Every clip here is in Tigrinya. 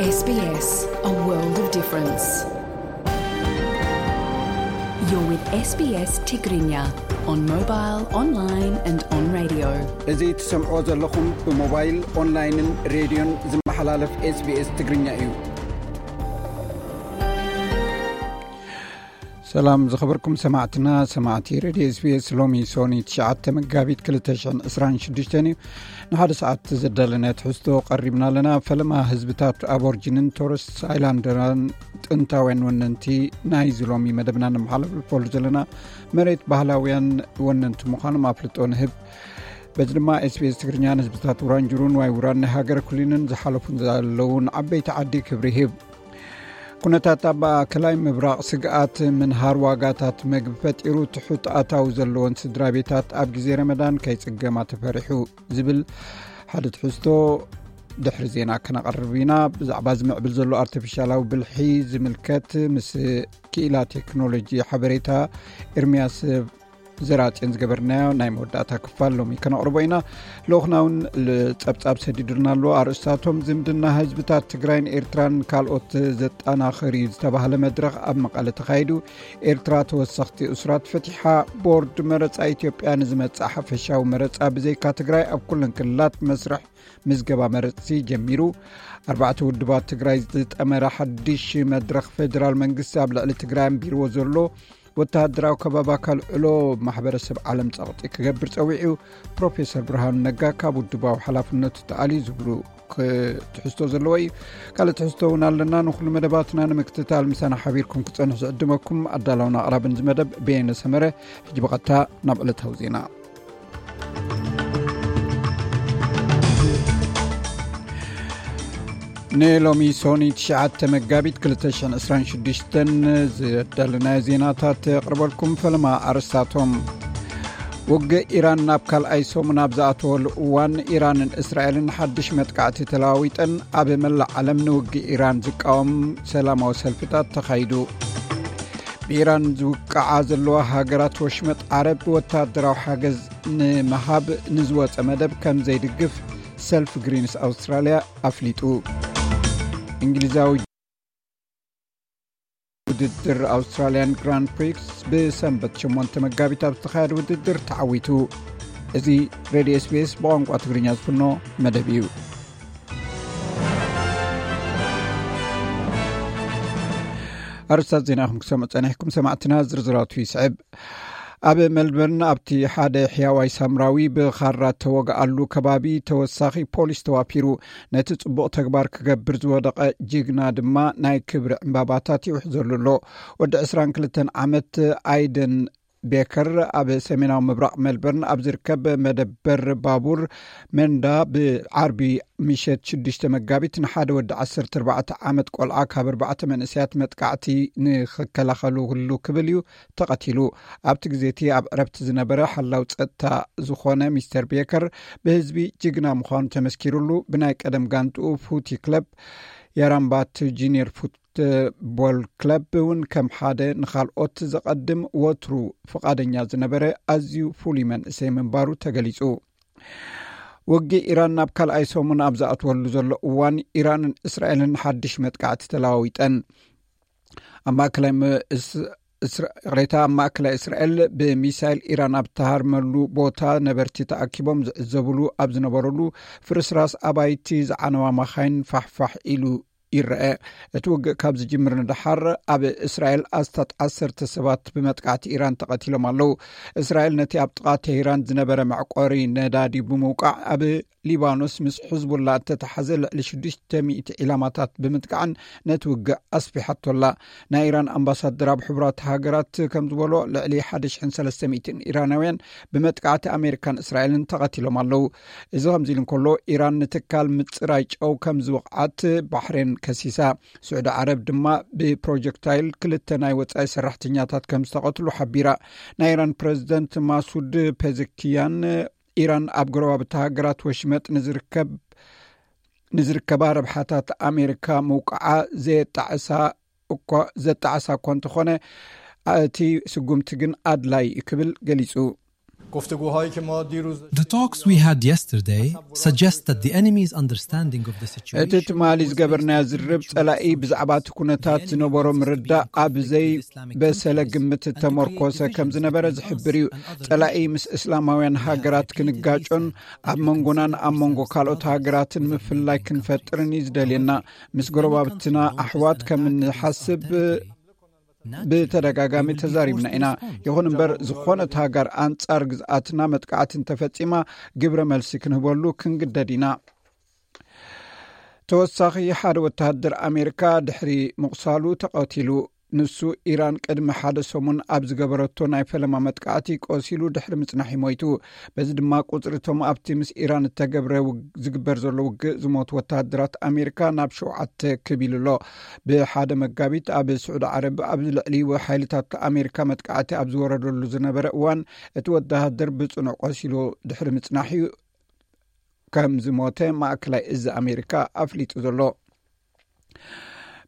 S B S, a world of difference. You're with S B S Tigrinya on mobile, online and on radio. እዚ ትሰምዕዎ ዘለኹም ብሞባይል፣ ኦንላይንን ሬድዮን ዝመሓላለፍ S B S ትግርኛ እዩ። ሰላም ዝኸበርኩም ሰማዕትና፣ ሰማዕቲ ሬድዮ S B S። ሎሚ ሶኒ ትሽዓተ መጋቢት ክልተ ሽሕን ዕስራን ሽዱሽተን እዩ። ንሓደ ሰዓት ዘዳለናዮ ትሕዝቶ ቀሪብና ኣለና። ፈለማ ህዝብታት ኣቦርጂንን ቶረስ ኣይላንደራን ጥንታውያን ወነንቲ ናይዚ ሎሚ መደብና ነመሓላልፈሉ ዘለና መሬት ባህላውያን ወነንቲ ምዃኖም ኣፍልጦ ንህብ። በዚ ድማ S B S ትግርኛ ንህዝብታት ውራንጅሩን ዋይ ውራን ናይ ሃገረ ኩሊንን ዝሓለፉን ዘለውን ዓበይቲ ዓዲ ክብሪ ይህብ። ኩነታት ኣብ ማእከላይ ምብራቕ ስግኣት ምንሃር ዋጋታት መግቢ ፈጢሩ፣ ትሑት ኣታዊ ዘለወን ስድራ ቤታት ኣብ ግዜ ረመዳን ከይጽገማ ተፈሪሑ ዝብል ሓደ ትሕዝቶ ድሕሪ ዜና ከነቕርብ ኢና። ብዛዕባ ዝምዕብል ዘሎ ኣርቲፊሻላዊ ብልሒ ዝምልከት ምስ ክኢላ ቴክኖሎጂ ሓበሬታ ኤርምያስ ዘራጽዮን ዝገበርናዮ ናይ መወዳእታ ክፋል ሎሚ ከነቕርቦ ኢና። ልኡኽና እውን ጸብጻብ ሰዲዱልና ኣሎ። ኣርእስታቶም ዝምድና ህዝብታት ትግራይን ኤርትራን ካልኦት ዘጠናኽር እዩ ዝተባህለ መድረኽ ኣብ መቐለ ተኻይዱ። ኤርትራ ተወሰኽቲ እሱራት ፈቲሓ። ቦርድ መረጻ ኢትዮጵያ ንዝመጽእ ሓፈሻዊ መረጻ ብዘይካ ትግራይ ኣብ ኩለን ክልላት መስርሕ ምዝገባ መረጽቲ ጀሚሩ። ኣርባዕተ ውድባት ትግራይ ዝጠመረ ሓድሽ መድረኽ ፌደራል መንግስቲ ኣብ ልዕሊ ትግራይ ኣንቢርዎ ዘሎ ወተሃደራዊ ከበባ ከልዕሎ ማሕበረሰብ ዓለም ጸቕጢ ክገብር ጸዊዑ። ፕሮፌሰር ብርሃኑ ነጋ ካብ ውድባዊ ሓላፍነቱ ተኣልዩ ዝብሉ ክ-፣ ትሕዝቶ ዘለዎ እዩ። ካልእ ትሕዝቶ እውን ኣለና። ንኹሉ መደባትና ንምክትታል ምሳና ሓቢርኩም ክጸንሑ ዝዕድመኩም ኣዳላውን ኣቕራብን እዚ መደብ በየነ ሰመረ። ሕጂ ብቐጥታ ናብ ዕለታዊ ዜና። ንሎሚ ሶኒ ትሽዓተ መጋቢት ክልተ ሽሕን ዕስራን ሽዱሽተን ዘዳለናዮ ዜናታት የቕርበልኩም። ፈለማ ኣርእስታቶም። ውግእ ኢራን ናብ ካልኣይ ሰሙን ኣብ ዝኣተወሉ እዋን፣ ኢራንን እስራኤልን ሓድሽ መጥቃዕቲ ተለዋዊጠን። ኣብ መላእ ዓለም ንውግእ ኢራን ዝቃወም ሰላማዊ ሰልፍታት ተኻይዱ። ብኢራን ዝውቅዓ ዘለዋ ሃገራት ወሽመጥ ዓረብ ወታደራዊ ሓገዝ ንምሃብ ንዝወጸ መደብ ከም ዘይድግፍ ሰልፍ ግሪንስ ኣውስትራልያ ኣፍሊጡ። እንግሊዛዊ ውድድር ኣውስትራልያን ግራንድ ፕሪክስ ብሰንበት ሸሞንተ መጋቢት ኣብ ዝተኻየደ ውድድር ተዓዊቱ። እዚ ሬድዮ S B S ብቋንቋ ትግርኛ ዝፍኖ መደብ እዩ። ኣርእስታት ዜና ኢኹም ክሰምዑ ጸኒሕኩም ሰማዕትና፣ ዝርዝራቱ ይስዕብ። ኣብ ሜልበርን ኣብቲ ሓደ ሕያዋይ ሳምራዊ ብኻራ ተወግኣሉ ከባቢ ተወሳኺ ፖሊስ ተዋፊሩ። ነቲ ጽቡቕ ተግባር ክገብር ዝወደቐ ጅግና ድማ ናይ ክብሪ ዕምባባታት ይውሕዘሉ ኣሎ። ወዲ ዕስራን ክልተን ዓመት ኣይደን ቤከር ኣብ ሰሜናዊ ምብራቕ ሜልበርን ኣብ ዝርከብ መደበር ባቡር መንዳ ብዓርቢ ምሸት ሽዱሽተ መጋቢት ንሓደ ወዲ ዓሰርተ ኣርባዕተ ዓመት ቆልዓ ካብ ኣርባዕተ መንእሰያት መጥቃዕቲ ንኽከላኸሉሉ ክብል እዩ ተቐቲሉ። ኣብቲ ግዜ እቲ ኣብ ዕረፍቲ ዝነበረ ሓላው ጸጥታ ዝኾነ ሚስተር ቤከር ብህዝቢ ጅግና ምዃኑ ተመስኪሩሉ። ብናይ ቀደም ጋንትኡ ፉቲ ክለብ ያራምባት ጁኒየር ፉትቦል ክለብ እውን ከም ሓደ ንኻልኦት ዘቐድም ወትሩ ፍቓደኛ ዝነበረ ኣዝዩ ፍሉይ መንእሰይ ምንባሩ ተገሊጹ። ውግእ ኢራን ናብ ካልኣይ ሰሙን ኣብ ዝኣትወሉ ዘሎ እዋን፣ ኢራንን እስራኤልን ሓድሽ መጥቃዕቲ ተለዋዊጠን። ኣብ ማእከላይ ም-፣ እስ-፣ እስራ-፣ ይቕሬታ፣ ኣብ ማእከላይ እስራኤል ብሚሳይል ኢራን ኣብ እትሃርመሉ ቦታ ነበርቲ ተኣኪቦም ዝዕዘብሉ ኣብ ዝነበረሉ፣ ፍርስራስ ኣባይቲ ዝዓነዋ መኻይን ፋሕፋሕ ኢሉ ይረአ። እቲ ውግእ ካብ ዝጅምር ንደሓር ኣብ እስራኤል ኣስታት ዓሰርተ ሰባት ብመጥቃዕቲ ኢራን ተቐቲሎም ኣለዉ። እስራኤል ነቲ ኣብ ጥቓ ቴህራን ዝነበረ መዕቆሪ ነዳዲ ብምውቃዕ፣ ኣብ ሊባኖስ ምስ ሕዝቡላ እተተሓዘ ልዕሊ ሽዱሽተ ሚእቲ ዒላማታት ብምጥቃዕን ነቲ ውግእ ኣስፊሓቶ ኣላ። ናይ ኢራን ኣምባሳደር ኣብ ሕቡራት ሃገራት ከም ዝበሎ፣ ልዕሊ ሓደ ሽሕን ሰለስተ ሚእትን ኢራናውያን ብመጥቃዕቲ ኣሜሪካን እስራኤልን ተቐቲሎም ኣለዉ። እዚ ከምዚ ኢሉ እንከሎ፣ ኢራን ንትካል ምጽራይ ጨው ከም ዝወቕዓት ባሕሬን ከሲሳ። ስዑዲ ዓረብ ድማ ብፕሮጀክታይል ክልተ ናይ ወጻኢ ሰራሕተኛታት ከም ዝተቐትሉ ሓቢራ። ናይ ኢራን ፕረዚደንት ማሱድ ፔዘኪያን፣ ኢራን ኣብ ጎረባብቲ ሃገራት ወሽመጥ ንዝርከብ፣ ንዝርከባ ረብሓታት ኣሜሪካ ምውቃዓ ዘየጣዕሳ እኳ፣ ዘጣዕሳ እኳ እንተኾነ፣ እቲ ስጉምቲ ግን ኣድላይ ክብል ገሊጹ። گفتگوهایی که ما دیروز The talks we had yesterday suggest that the enemy's understanding of the situation እቲ ትማሊ ዝገበርናዮ ዝርርብ ጸላኢ ብዛዕባ እቲ ኩነታት ዝነበሮ ምርዳእ ኣብ ዘይበሰለ ግምት ተመርኮሰ ከም ዝነበረ ዝሕብር እዩ። ጸላኢ ምስ እስላማውያን ሃገራት ክንጋጮን ኣብ መንጎናን ኣብ መንጎ ካልኦት ሃገራትን ምፍልላይ ክንፈጥርን እዩ ዝደልየና። ምስ ጎረባብትና ኣሕዋት ከም እንሓስብ ብተደጋጋሚ ተዛሪብና ኢና። ይኹን እምበር ዝኾነት ሃገር ኣንጻር ግዝኣትና መጥቃዕቲ እንተፈጺማ ግብረ መልሲ ክንህበሉ ክንግደድ ኢና። ተወሳኺ ሓደ ወተሃደር ኣሜሪካ ድሕሪ ምቑሳሉ ተቐቲሉ። ንሱ ኢራን ቅድሚ ሓደ ሰሙን ኣብ ዝገበረቶ ናይ ፈለማ መጥቃዕቲ ቆሲሉ ድሕሪ ምጽናሕ ሞይቱ። በዚ ድማ ቁጽሪ እቶም ኣብቲ ምስ ኢራን እተገብረ ዝግበር ዘሎ ውግእ ዝሞቱ ወተሃደራት ኣሜሪካ ናብ ሸውዓተ ክብ ኢሉ ኣሎ። ብሓደ መጋቢት ኣብ ስዑዲ ዓረብ ኣብ ልዕሊ ሓይልታት ኣሜሪካ መጥቃዕቲ ኣብ ዝወረደሉ ዝነበረ እዋን እቲ ወተሃደር ብጽኑዕ ቆሲሉ ድሕሪ ምጽናሕ እዩ ከም ዝሞተ ማእከላይ እዚ ኣሜሪካ ኣፍሊጡ ዘሎ።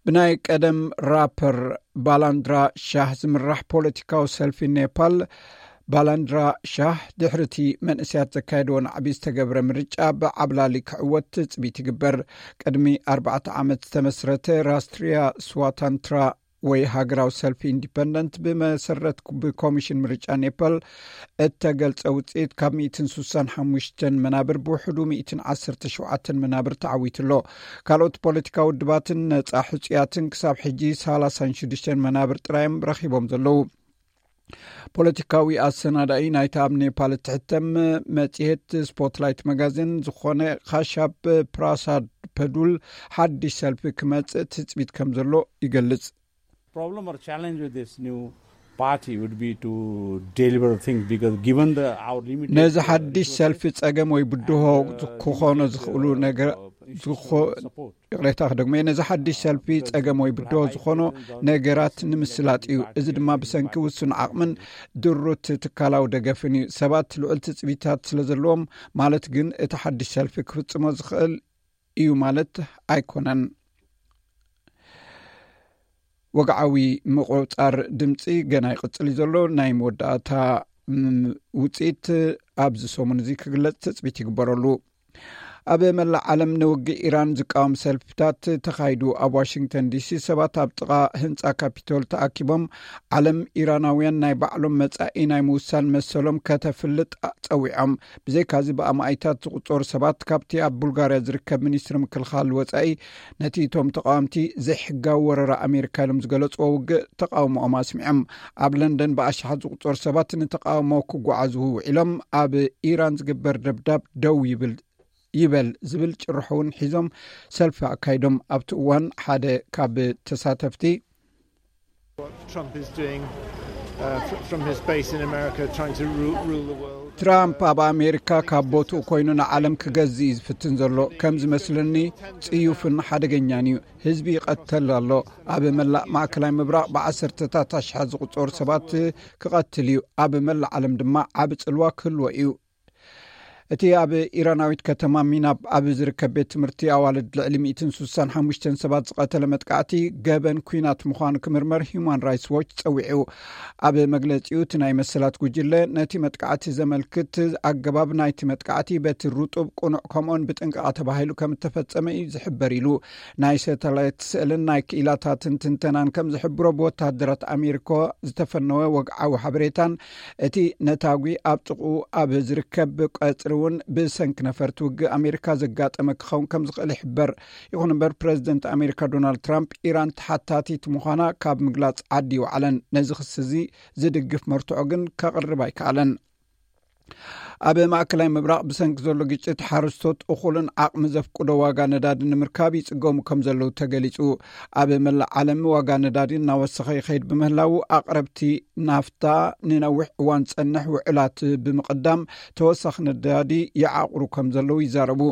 ብናይ ቀደም ራፐር ባላንድራ ሻህ ዝምራሕ ፖለቲካዊ ሰልፊ ኔፓል ባላንድራ ሻህ ድሕሪ እቲ መንእሰያት ዘካየድዎ ናዕቢ ዝተገብረ ምርጫ ብዓብላሊ ክዕወት ትጽቢት ይግበር። ቅድሚ ኣርባዕተ ዓመት ዝተመስረተ ራስትሪያ ስዋታንትራ ወይ ሃገራዊ ሰልፊ ኢንዲፐንደንት ብመሰረት ብኮሚሽን ምርጫ ኔፓል እተገልጸ ውጽኢት ካብ ሚእትን ስሳን ሓሙሽተን መናብር ብውሕዱ ሚእትን ዓሰርተ ሸውዓተን መናብር ተዓዊቱ ኣሎ። ካልኦት ፖለቲካዊ ውድባትን ነጻ ሕጹያትን ክሳብ ሕጂ ሰላሳን ሽዱሽተን መናብር ጥራዮም ረኺቦም ዘለዉ። ፖለቲካዊ ኣሰናዳኢ ናይታ ኣብ ኔፓል እትሕተም መጽሔት ስፖትላይት መጋዚን ዝኾነ ካሻብ ፕራሳድ ፐዱል ሓድሽ ሰልፊ ክመጽእ ትጽቢት ከም ዘሎ ይገልጽ። Problem or challenge with this new party would be to deliver things, because given the our limited ነዚ ሓድሽ ሰልፊ ጸገም ወይ ብድሆ ክኾኖ ዝኽእሉ ነገር ይቕሬታ ክደግሞ እየ። ነዚ ሓድሽ ሰልፊ ጸገም ወይ ብድሆ ዝኾኖ ነገራት ንምስላጥ እዩ። እዚ ድማ ብሰንኪ ውሱን ዓቕምን ድሩት ትካላዊ ደገፍን እዩ። ሰባት ልዑል ትጽቢታት ስለ ዘለዎም ማለት ግን እቲ ሓድሽ ሰልፊ ክፍጽሞ ዝኽእል እዩ ማለት ኣይኮነን። ወግዓዊ ምቑጻር ድምጺ ገና ይቕጽል እዩ ዘሎ። ናይ መወዳእታ ውጽኢት ኣብዚ ሰሙን እዚ ክግለጽ ትጽቢት ይግበረሉ። ኣብ መላእ ዓለም ንውግእ ኢራን ዝቃወም ሰልፍታት ተኻይዱ። ኣብ ዋሽንግተን ዲሲ ሰባት ኣብ ጥቓ ህንጻ ካፒቶል ተኣኪቦም ዓለም ኢራናውያን ናይ ባዕሎም መጻኢ ናይ ምውሳን መሰሎም ከተፍልጥ ጸዊዖም። ብዘይካዚ ብኣማኢታት ዝቑጸሩ ሰባት ካብቲ ኣብ ቡልጋርያ ዝርከብ ሚኒስትሪ ምክልኻል ወጻኢ ነቲ እቶም ተቃወምቲ ዘይሕጋዊ ወረራ ኣሜሪካ ኢሎም ዝገለጽዎ ውግእ ተቃውሞኦም ኣስሚዖም። ኣብ ለንደን ብኣሽሓት ዝቑጸሩ ሰባት ንተቃውሞ ክጓዓዙ ውዒሎም ኣብ ኢራን ዝግበር ደብዳብ ደው ይብል ይበል ዝብል ጭርሖ እውን ሒዞም ሰልፊ ኣካይዶም። ኣብቲ እዋን ሓደ ካብ ተሳተፍቲ Trump is doing uh, from his base in America, trying to rule, rule the world. ትራምፕ ኣብ ኣሜሪካ ካብ ቦትኡ ኮይኑ ንዓለም ክገዝእ እዩ ዝፍትን ዘሎ። ከም ዝመስለኒ ጽዩፍን ሓደገኛን እዩ። ህዝቢ ይቐተል ኣሎ። ኣብ መላእ ማእከላይ ምብራቕ ብዓሰርተታት ኣሽሓት ዝቑጸሩ ሰባት ክቐትል እዩ። ኣብ መላእ ዓለም ድማ ዓቢ ጽልዋ ክህልዎ እዩ። እቲ ኣብ ኢራናዊት ከተማ ሚናብ ኣብ ዝርከብ ቤት ትምህርቲ ኣዋልድ ልዕሊ ሚእትን ስሳን ሓሙሽተን ሰባት ዝቐተለ መጥቃዕቲ ገበን ኲናት ምዃኑ ክምርመር ሂዩማን ራይትስ ዎች ጸዊዑ። ኣብ መግለጺኡ እቲ ናይ መሰላት ጉጅለ ነቲ መጥቃዕቲ ዘመልክት ኣገባብ ናይቲ መጥቃዕቲ በቲ ርጡብ፣ ቅኑዕ ከምኡን ብጥንቃቐ ተባሂሉ ከም እተፈጸመ እዩ ዝሕበር ኢሉ። ናይ ሳተላይት ስእልን ናይ ክኢላታትን ትንተናን ከም ዝሕብሮ ብወተሃደራት ኣሜሪካ ዝተፈነወ ወግዓዊ ሓበሬታን እቲ ነታጒ ኣብ ጥቕኡ ኣብ ዝርከብ ቀጽሪ እውን ብሰንኪ ነፈርቲ ውግእ ኣሜሪካ ዘጋጠመ ክኸውን ከም ዝኽእል ይሕበር። ይኹን እምበር ፕረዚደንት ኣሜሪካ ዶናልድ ትራምፕ ኢራን ተሓታቲት ምዃና ካብ ምግላጽ ዓዲ ይወዓለን። ነዚ ክሲ እዚ ዝድግፍ መርትዖ ግን ከቕርብ ኣይከኣለን። ኣብ ማእከላይ ምብራቕ ብሰንኪ ዘሎ ግጭት ሓረስቶት እኹልን ዓቕሚ ዘፍቅዶ ዋጋ ነዳዲ ንምርካብ ይጽገሙ ከም ዘለዉ ተገሊጹ። ኣብ መላእ ዓለም ዋጋ ነዳዲ እናወሰኸ ይኸይድ ብምህላዉ ኣቕረብቲ ናፍታ ንነዊሕ እዋን ዝጸንሕ ውዕላት ብምቕዳም ተወሳኺ ነዳዲ ይዓቕሩ ከም ዘለዉ ይዛረቡ።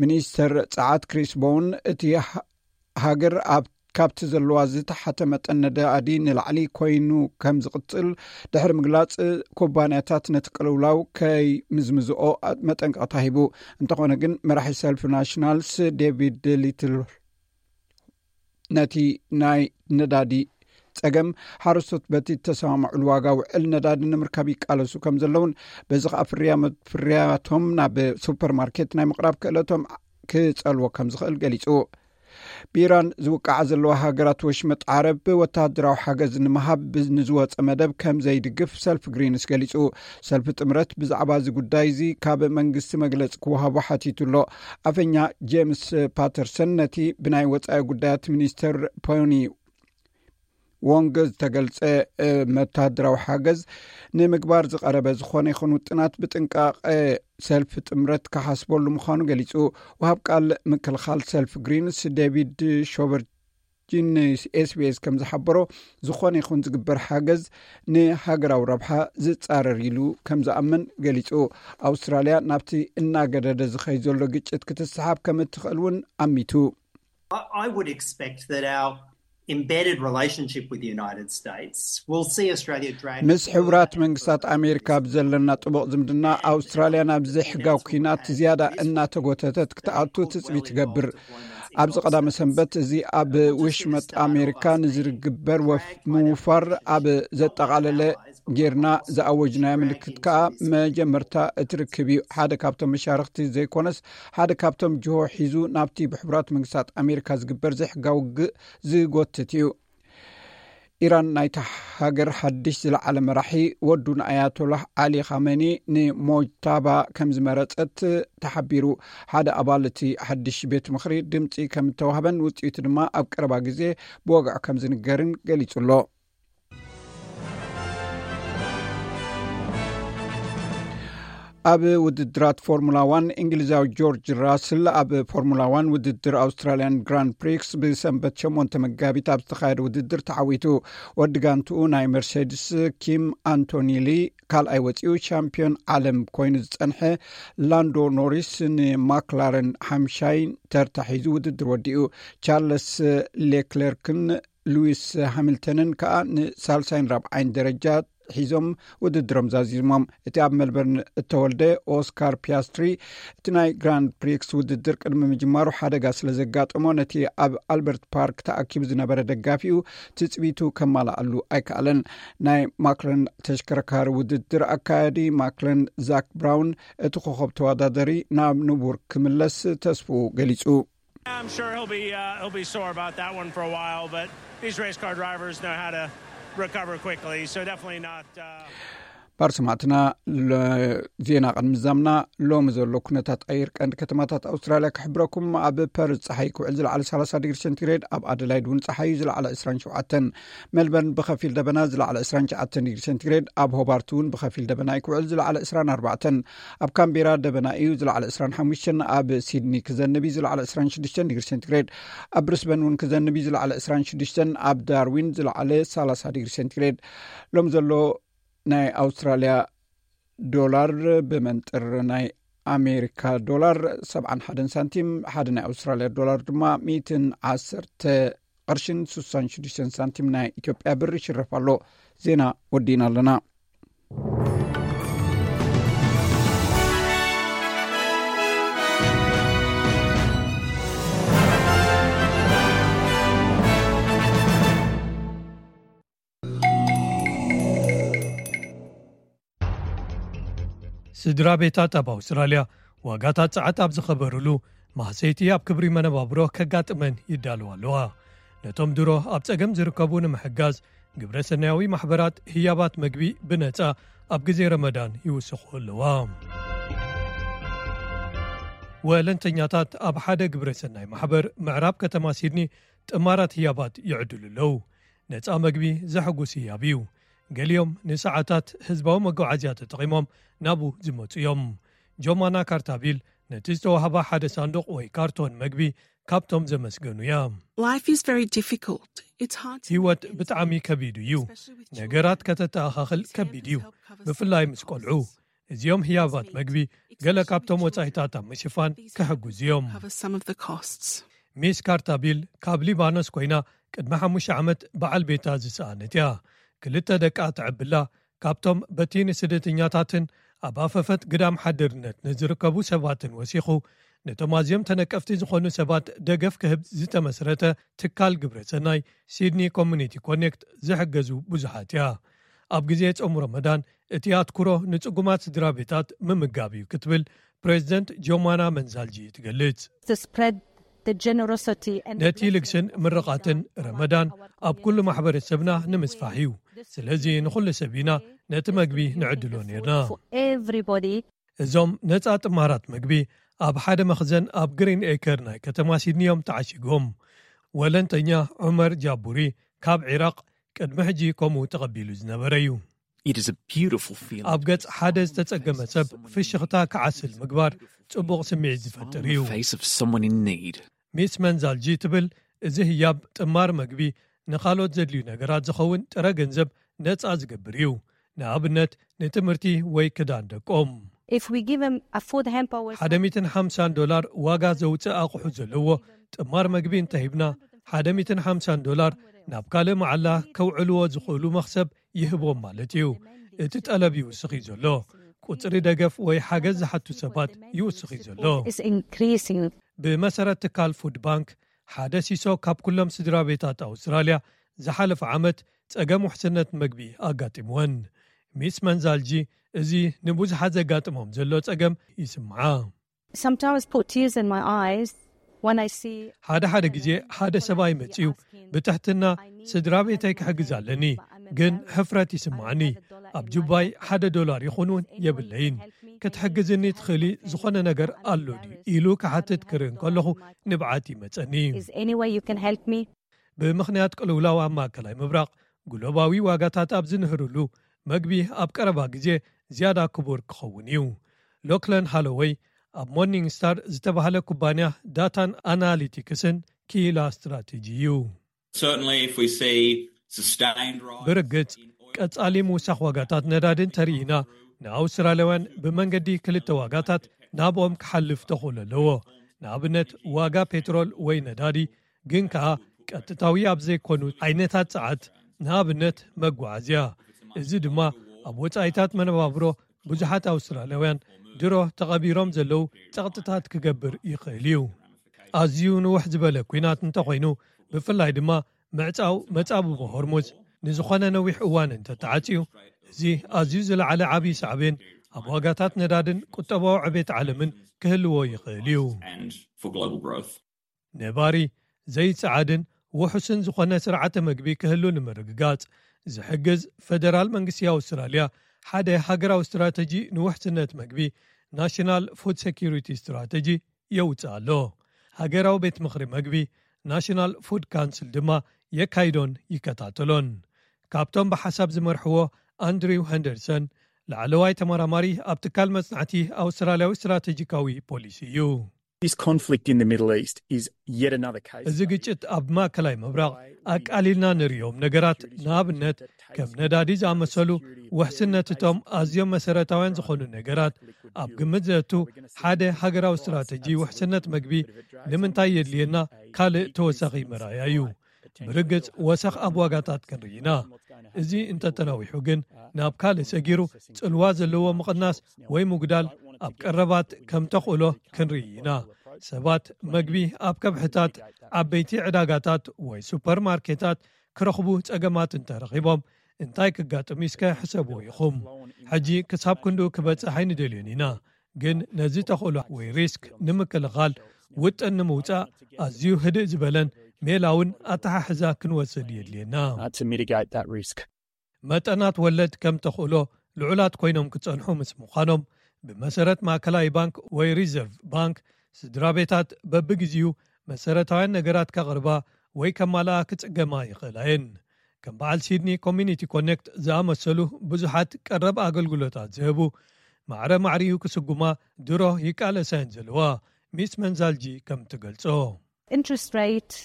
ሚኒስተር ጸዓት ክሪስ ቦውን እቲ ሃ- ሃገር ኣብ ካብቲ ዘለዋ ዝተሓተ መጠን ነዳዲ ንላዕሊ ኮይኑ ከም ዝቕጽል ድሕሪ ምግላጽ ኩባንያታት ነቲ ቅልውላው ከይምዝምዝኦ መጠንቀቕታ ሂቡ። እንተኾነ ግን መራሒ ሰልፊ ናሽናልስ ዴቪድ ሊትል ነቲ ናይ ነዳዲ ጸገም፣ ሓረስቶት በቲ እተሰማምዕሉ ዋጋ ውዕል ነዳዲ ንምርካብ ይቃለሱ ከም ዘለውን፣ በዚ ከኣ ፍርያ-፣ ፍርያቶም ናብ ሱፐርማርኬት ናይ ምቕራብ ክእለቶም ክጸልዎ ከም ዝኽእል ገሊጹ። ብኢራን ዝውቃዓ ዘለዋ ሃገራት ወሽመጥ ዓረብ ወተሃደራዊ ሓገዝ ንምሃብ ንዝወጸ መደብ ከም ዘይድግፍ ሰልፍ ግሪንስ ገሊጹ። ሰልፍ ጥምረት ብዛዕባ እዚ ጉዳይ እዚ ካብ መንግስቲ መግለጺ ክወሃቦ ሓቲቱ ኣሎ። ኣፈኛ ጄምስ ፓተርሰን ነቲ ብናይ ወጻኢ ጉዳያት ሚኒስተር ፖኒ ዎንግ ዝተገልጸ፣ እ፣ መተሃደራዊ ሓገዝ ንምግባር ዝቐረበ ዝኾነ ይኹን ውጥናት ብጥንቃቐ ሰልፊ ጥምረት ክሓስበሉ ምዃኑ ገሊጹ። ወሃብ ቃል ምክልኻል ሰልፊ ግሪንስ ዴቪድ ሾቨርጂን ኤስቢኤስ ከም ዝሓበሮ፣ ዝኾነ ይኹን ዝግበር ሓገዝ ንሃገራዊ ረብሓ ዝጻረር ኢሉ ከም ዝኣምን ገሊጹ። ኣውስትራልያ ናብቲ እናገደደ ዝኸይ ዘሎ ግጭት ክትስሓብ ከም እትኽእል እውን ኣሚቱ። I I would expect that our embedded relationship with the United States will see Australia drag ምስ ሕቡራት መንግስታት ኣሜሪካ ብዘለና ጥቡቕ ዝምድና፣ ኣውስትራልያ ናብ ዘይሕጋዊ ኲናት ዝያዳ እናተጎተተት ክትኣቱ ትጽቢት ትገብር። ኣብዚ ቀዳመ ሰንበት እዚ ኣብ ውሽመጥ ኣሜሪካ ንዝርግበር ወፍ ምውፋር ኣብ ዘጠቓለለ ጌርና ዝኣወጅናዮ ምልክት ከኣ መጀመርታ እቲ ርክብ እዩ። ሓደ ካብቶም መሻርኽቲ ዘይኮነስ፣ ሓደ ካብቶም ጅሆ ሒዙ ናብቲ ብሕቡራት መንግስታት ኣሜሪካ ዝግበር ዘይሕጋዊ ውግእ ዝጎትት እዩ። ኢራን ናይታ ሃገር ሓድሽ ዝለዓለ መራሒ ወዱ ንኣያቶላህ ዓሊ ኻመኒ ንሞጅታባ ከም ዝመረጸት ተሓቢሩ። ሓደ ኣባል እቲ ሓድሽ ቤት ምኽሪ ድምጺ ከም እተዋህበን ውጽኢቱ ድማ ኣብ ቀረባ ግዜ ብወግዒ ከም ዝንገርን ገሊጹ ኣሎ። ኣብ ውድድራት ፎርሙላ ዋን፣ እንግሊዛዊ ጆርጅ ራስል ኣብ ፎርሙላ ዋን ውድድር ኣውስትራልያን ግራንድ ፕሪክስ ብሰንበት ሸሞንተ መጋቢት ኣብ ዝተኻየደ ውድድር ተዓዊቱ። ወዲ ጋንትኡ ናይ መርሴድስ ኪም ኣንቶኒሊ ካልኣይ ወፂኡ። ሻምፒዮን ዓለም ኮይኑ ዝፀንሐ ላንዶ ኖሪስ ንማክላረን ሓምሻይ ተርታ ሒዙ ውድድር ወዲኡ። ቻርለስ ሌክለርክን ሉዊስ ሃሚልተንን ከኣ ንሳልሳይን ራብዓይን ደረጃ ሒዞም ውድድሮም ዛዚሞም። እቲ ኣብ ሜልበርን እተወልደ ኦስካር ፒያስትሪ፣ እቲ ናይ ግራንድ ፕሪክስ ውድድር ቅድሚ ምጅማሩ ሓደጋ ስለ ዘጋጠሞ፣ ነቲ ኣብ ኣልበርት ፓርክ ተኣኪቡ ዝነበረ ደጋፊኡ ትጽቢቱ ከማልኣሉ ኣይከኣለን። ናይ ማክለን ተሽከርካሪ ውድድር ኣካያዲ ማክለን ዛክ ብራውን፣ እቲ ኮኸብ ተወዳደሪ ናብ ንቡር ክምለስ ተስፍኡ ገሊጹ። I'm sure he'll be uh, he'll be sore about that one for a while, but these race car drivers know how to recover quickly, so definitely not. Uh... ባር ሰማዕትና፣ ዜና ቅድሚ ዛምና ሎሚ ዘሎ ኩነታት ኣየር ቀንዲ ከተማታት ኣውስትራልያ ክሕብረኩም። ኣብ ፐርዝ ፀሓይ ክውዕል ዝለዓለ ሰላሳ ዲግሪ ሴንቲግሬድ፣ ኣብ ኣደላይድ እውን ፀሓዩ ዝለዓለ ዕስራን ሸውዓተን፣ ሜልበርን ብኸፊል ደበና ዝለዓለ ዕስራን ትሽዓተን ዲግሪ ሴንቲግሬድ፣ ኣብ ሆባርት እውን ብኸፊል ደበና እዩ ክውዕል ዝለዓለ ዕስራን ኣርባዕተን፣ ኣብ ካምቤራ ደበና እዩ ዝለዓለ ዕስራን ሓሙሽተን፣ ኣብ ሲድኒ ክዘንብ እዩ ዝለዓለ ዕስራን ሽዱሽተን ዲግሪ ሴንቲግሬድ፣ ኣብ ብሪስበን እውን ክዘንብ እዩ ዝለዓለ ዕስራን ሽዱሽተን፣ ኣብ ዳርዊን ዝለዓለ ሰላሳ ዲግሪ ሴንቲግሬድ። ሎም ዘሎ ናይ ኣውስትራልያ ዶላር ብመንጥር ናይ ኣሜሪካ ዶላር ሰብዓን ሓደን ሳንቲም፣ ሓደ ናይ ኣውስትራልያ ዶላር ድማ ሚእትን ዓሰርተ ቅርሽን ስሳን ሽዱሽተን ሳንቲም ናይ ኢትዮጵያ ብር ይሽረፍ ኣሎ። ዜና ወዲእና ኣለና። ስድራ ቤታት ኣብ ኣውስትራልያ ዋጋታት ጸዓት ኣብ ዝኸበሩሉ፣ ማህሰይቲ ኣብ ክብሪ መነባብሮ ከጋጥመን ይዳለዋ ኣለዋ። ነቶም ድሮ ኣብ ጸገም ዝርከቡ ንምሕጋዝ፣ ግብረ ሰናያዊ ማሕበራት ህያባት መግቢ ብነጻ ኣብ ግዜ ረመዳን ይውስኹ ኣለዋ። ወለንተኛታት ኣብ ሓደ ግብረ ሰናይ ማሕበር ምዕራብ ከተማ ሲድኒ ጥማራት ህያባት ይዕድሉ ኣለዉ። ነጻ መግቢ ዘሐጉስ ህያብ እዩ። ገሊኦም ንሰዓታት ህዝባዊ መጓዓዝያ ተጠቒሞም ናብኡ ዝመጹ እዮም። ጆማና ካርታቢል ነቲ ዝተዋህባ ሓደ ሳንዱቕ ወይ ካርቶን መግቢ ካብቶም ዘመስገኑ እያ። Life is very difficult. It's hard to ህይወት make ends ብጣዕሚ meet, ከቢድ እዩ። especially with children. ነገራት ከተተኣኻኽል These ከቢድ hampers እዩ። help cover ብፍላይ some of ምስ the ቆልዑ። costs. እዚኦም ህያባት መግቢ ገለ ካብቶም ወጻኢታት ኣብ ምሽፋን These ክሕግዙ hampers እዮም። Cover some of the costs. ሚስ ካርታቢል ካብ ሊባኖስ ኮይና ቅድሚ ሓሙሽተ ዓመት በዓል ቤታ ዝሰኣነት እያ። ክልተ ደቃ ትዕብላ። ካብቶም በቲ ንስደተኛታትን ኣብ ኣፈፈት ግዳም ሓድርነት ንዝርከቡ ሰባትን ወሲኹ ነቶም ኣዝዮም ተነቀፍቲ ዝኾኑ ሰባት ደገፍ ክህብ ዝተመስረተ ትካል ግብረ ሰናይ ሲድኒ ኮሚኒቲ ኮኔክት ዝሕገዙ ብዙሓት እያ። ኣብ ግዜ ጾም ረመዳን እቲ ኣትኩሮ ንጽጉማት ስድራ ቤታት ምምጋብ እዩ ክትብል ፕሬዚደንት ጆማና መንዛልጂ ትገልጽ። To spread the generosity and ነቲ ልግስን ምርቓትን ረመዳን ኣብ ኩሉ ማሕበረሰብና ንምስፋሕ እዩ። ስለዚ ንኹሉ ሰብ ኢና ነቲ መግቢ ንዕድሎ ነርና። Everybody. እዞም ነጻ ጥማራት መግቢ ኣብ ሓደ መኽዘን ኣብ ግሪን ኤከር ናይ ከተማ ሲድኒ እዮም ተዓሺጎም። ወለንተኛ ዑመር ጃቡሪ ካብ ዒራቕ ቅድሚ ሕጂ ከምኡ ተቐቢሉ ዝነበረ እዩ። It is a beautiful feeling. ኣብ ገጽ ሓደ ዝተጸገመ ሰብ ፍሽኽታ ክዓስል ምግባር ጽቡቕ ስምዒት ዝፈጥር እዩ። The face of someone in need. ሚስ መንዛልጂ ትብል፣ እዚ ህያብ ጥማር መግቢ ንኻልኦት ዘድልዩ ነገራት ዝኸውን ጥረ ገንዘብ ነጻ ዝገብር እዩ። ንኣብነት ንትምህርቲ ወይ ክዳን ደቆም። If we give them a food hamper with ሓደ ሚእትን ሓምሳን ዶላር ዋጋ ዘውፅእ ኣቑሑ ዘለዎ ጥማር መግቢ እንተሂብና፣ ሓደ ሚእትን ሓምሳን ዶላር ናብ ካልእ መዓላ ከውዕልዎ ዝኽእሉ መኽሰብ ይህቦም ማለት እዩ። እቲ ጠለብ ይውስኽ እዩ ዘሎ። ቁፅሪ ደገፍ ወይ ሓገዝ ዝሓቱ ሰባት ይውስኽ እዩ ዘሎ። Is increasing. ብመሰረት ትካል ፉድ ባንክ፣ ሓደ ሲሶ ካብ ኩሎም ስድራ ቤታት ኣውስትራልያ ዝሓለፈ ዓመት ጸገም ውሕስነት መግቢ ኣጋጢምወን። ሚስ መንዛልጂ፣ እዚ ንብዙሓት ዘጋጥሞም ዘሎ ጸገም ይስምዓ። Sometimes put tears in my eyes when I see ሓደ ሓደ ግዜ ሓደ ሰብኣይ መጺኡ ብትሕትና፣ ስድራ ቤተይ ክሕግዝ ኣለኒ፣ ግን ሕፍረት ይስምዓኒ። ኣብ ጁባይ ሓደ ዶላር ይኹን እውን የብለይን። ክትሕግዝኒ ትኽእሊ ዝኾነ ነገር ኣሎ ድዩ ኢሉ ክሓትት ክርኢ እንከለኹ፣ ንብዓት ይመጸኒ። Is any way you can help me? ብምኽንያት ቅልውላው ኣብ ማእከላይ ምብራቕ፣ ግሎባዊ ዋጋታት ኣብ ዝንህርሉ፣ መግቢ ኣብ ቀረባ ግዜ ዝያዳ ክቡር ክኸውን እዩ። ሎክለን ሃሎወይ ኣብ ሞርኒንግ ስታር ዝተባህለ ኩባንያ ዳታን ኣናሊቲክስን ክኢላ ስትራቴጂ እዩ። Certainly, if we see sustained rise ብርግጽ፣ ቀጻሊ ምውሳኽ ዋጋታት ነዳዲ እንተርኢና፣ ንኣውስትራልያውያን ብመንገዲ ክልተ ዋጋታት ናብኦም ክሓልፍ ተኽእሎ ኣለዎ። ንኣብነት፣ ዋጋ ፔትሮል ወይ ነዳዲ፣ ግን ከኣ ቀጥታዊ ኣብ ዘይኮኑ ዓይነታት ጸዓት፣ ንኣብነት መጓዓዝያ። እዚ ድማ ኣብ ወጻኢታት መነባብሮ ብዙሓት ኣውስትራልያውያን ድሮ ተቐቢሮም ዘለዉ ጸቕጥታት ክገብር ይኽእል እዩ። ኣዝዩ ንውሕ ዝበለ ኲናት እንተኾይኑ፣ ብፍላይ ድማ ምዕጻው መጻብቦ ሆርሙዝ ንዝኾነ ነዊሕ እዋን እንተተዓጽዩ፣ እዚ ኣዝዩ ዝለዓለ ዓብዪ ሳዕቤን ኣብ ዋጋታት ነዳድን ቁጠባዊ ዕቤት ዓለምን ክህልዎ ይኽእል እዩ። and for global growth. ነባሪ፣ ዘይጸዓድን ውሑስን ዝኾነ ስርዓተ መግቢ ክህሉ ንምርግጋጽ ዝሕግዝ ፈደራል መንግስቲ ኣውስትራልያ ሓደ ሃገራዊ ስትራተጂ ንውሕስነት መግቢ፣ ናሽናል ፉድ ሴኪሪቲ ስትራተጂ፣ የውጽእ ኣሎ። ሃገራዊ ቤት ምኽሪ መግቢ፣ ናሽናል ፉድ ካውንስል፣ ድማ የካይዶን ይከታተሎን። ካብቶም ብሓሳብ ዝመርሕዎ፣ ኣንድሪው ሄንደርሰን፣ ላዕለዋይ ተመራማሪ ኣብ ትካል መጽናዕቲ ኣውስትራልያዊ ስትራቴጂካዊ ፖሊሲ እዩ። This conflict in the Middle East is yet another case. እዚ ግጭት ኣብ ማእከላይ ምብራቕ ኣቃሊልና ንርእዮም ነገራት፣ ንኣብነት ከም ነዳዲ ዝኣመሰሉ ውሕስነትቶም ኣዝዮም መሰረታውያን ዝኾኑ ነገራት ኣብ ግምት ዘእቱ ሓደ ሃገራዊ ስትራተጂ ውሕስነት መግቢ ንምንታይ የድልየና ካልእ ተወሳኺ መርኣያ እዩ። ብርግጽ ወሰኽ ኣብ ዋጋታት ክንርኢ ኢና። እዚ እንተተናዊሑ ግን ናብ ካልእ ሰጊሩ ጽልዋ ዘለዎ ምቕናስ ወይ ምጉዳል ኣብ ቀረባት ከም ተኽእሎ ክንርኢ ኢና። ሰባት መግቢ ኣብ ከብሕታት፣ ዓበይቲ ዕዳጋታት ወይ ሱፐርማርኬታት ክረኽቡ ጸገማት እንተረኺቦም እንታይ ክጋጥም እስከ ሕሰብዎ ኢኹም። ሕጂ ክሳብ ክንድኡ ክበጽሕ ኣይንደልዮን ኢና፣ ግን ነዚ ተኽእሎ ወይ ሪስክ ንምክልኻል ውጥን ንምውጻእ ኣዝዩ ህድእ ዝበለን ሜላውን ኣተሓሕዛ ክንወስድ የድልየና። Uh, to mitigate that risk. መጠናት ወለድ ከም ተኽእሎ ልዑላት ኮይኖም ክጸንሑ ምስ ምዃኖም፣ ብመሰረት ማእከላይ ባንክ ወይ ሪዘርቭ ባንክ፣ ስድራ ቤታት በብግዜኡ መሰረታውያን ነገራት ከቕርባ ወይ ከማልኣ ክጽገማ ይኽእላ እየን። ከም በዓል ሲድኒ ኮሚኒቲ ኮኔክት ዝኣመሰሉ ብዙሓት ቀረብ ኣገልግሎታት ዝህቡ፣ ማዕረ ማዕሪኡ ክስጉማ ድሮ ይቃለሳ እየን ዘለዋ፣ ሚስ መንዛልጂ ከም ትገልጾ። Interest rate,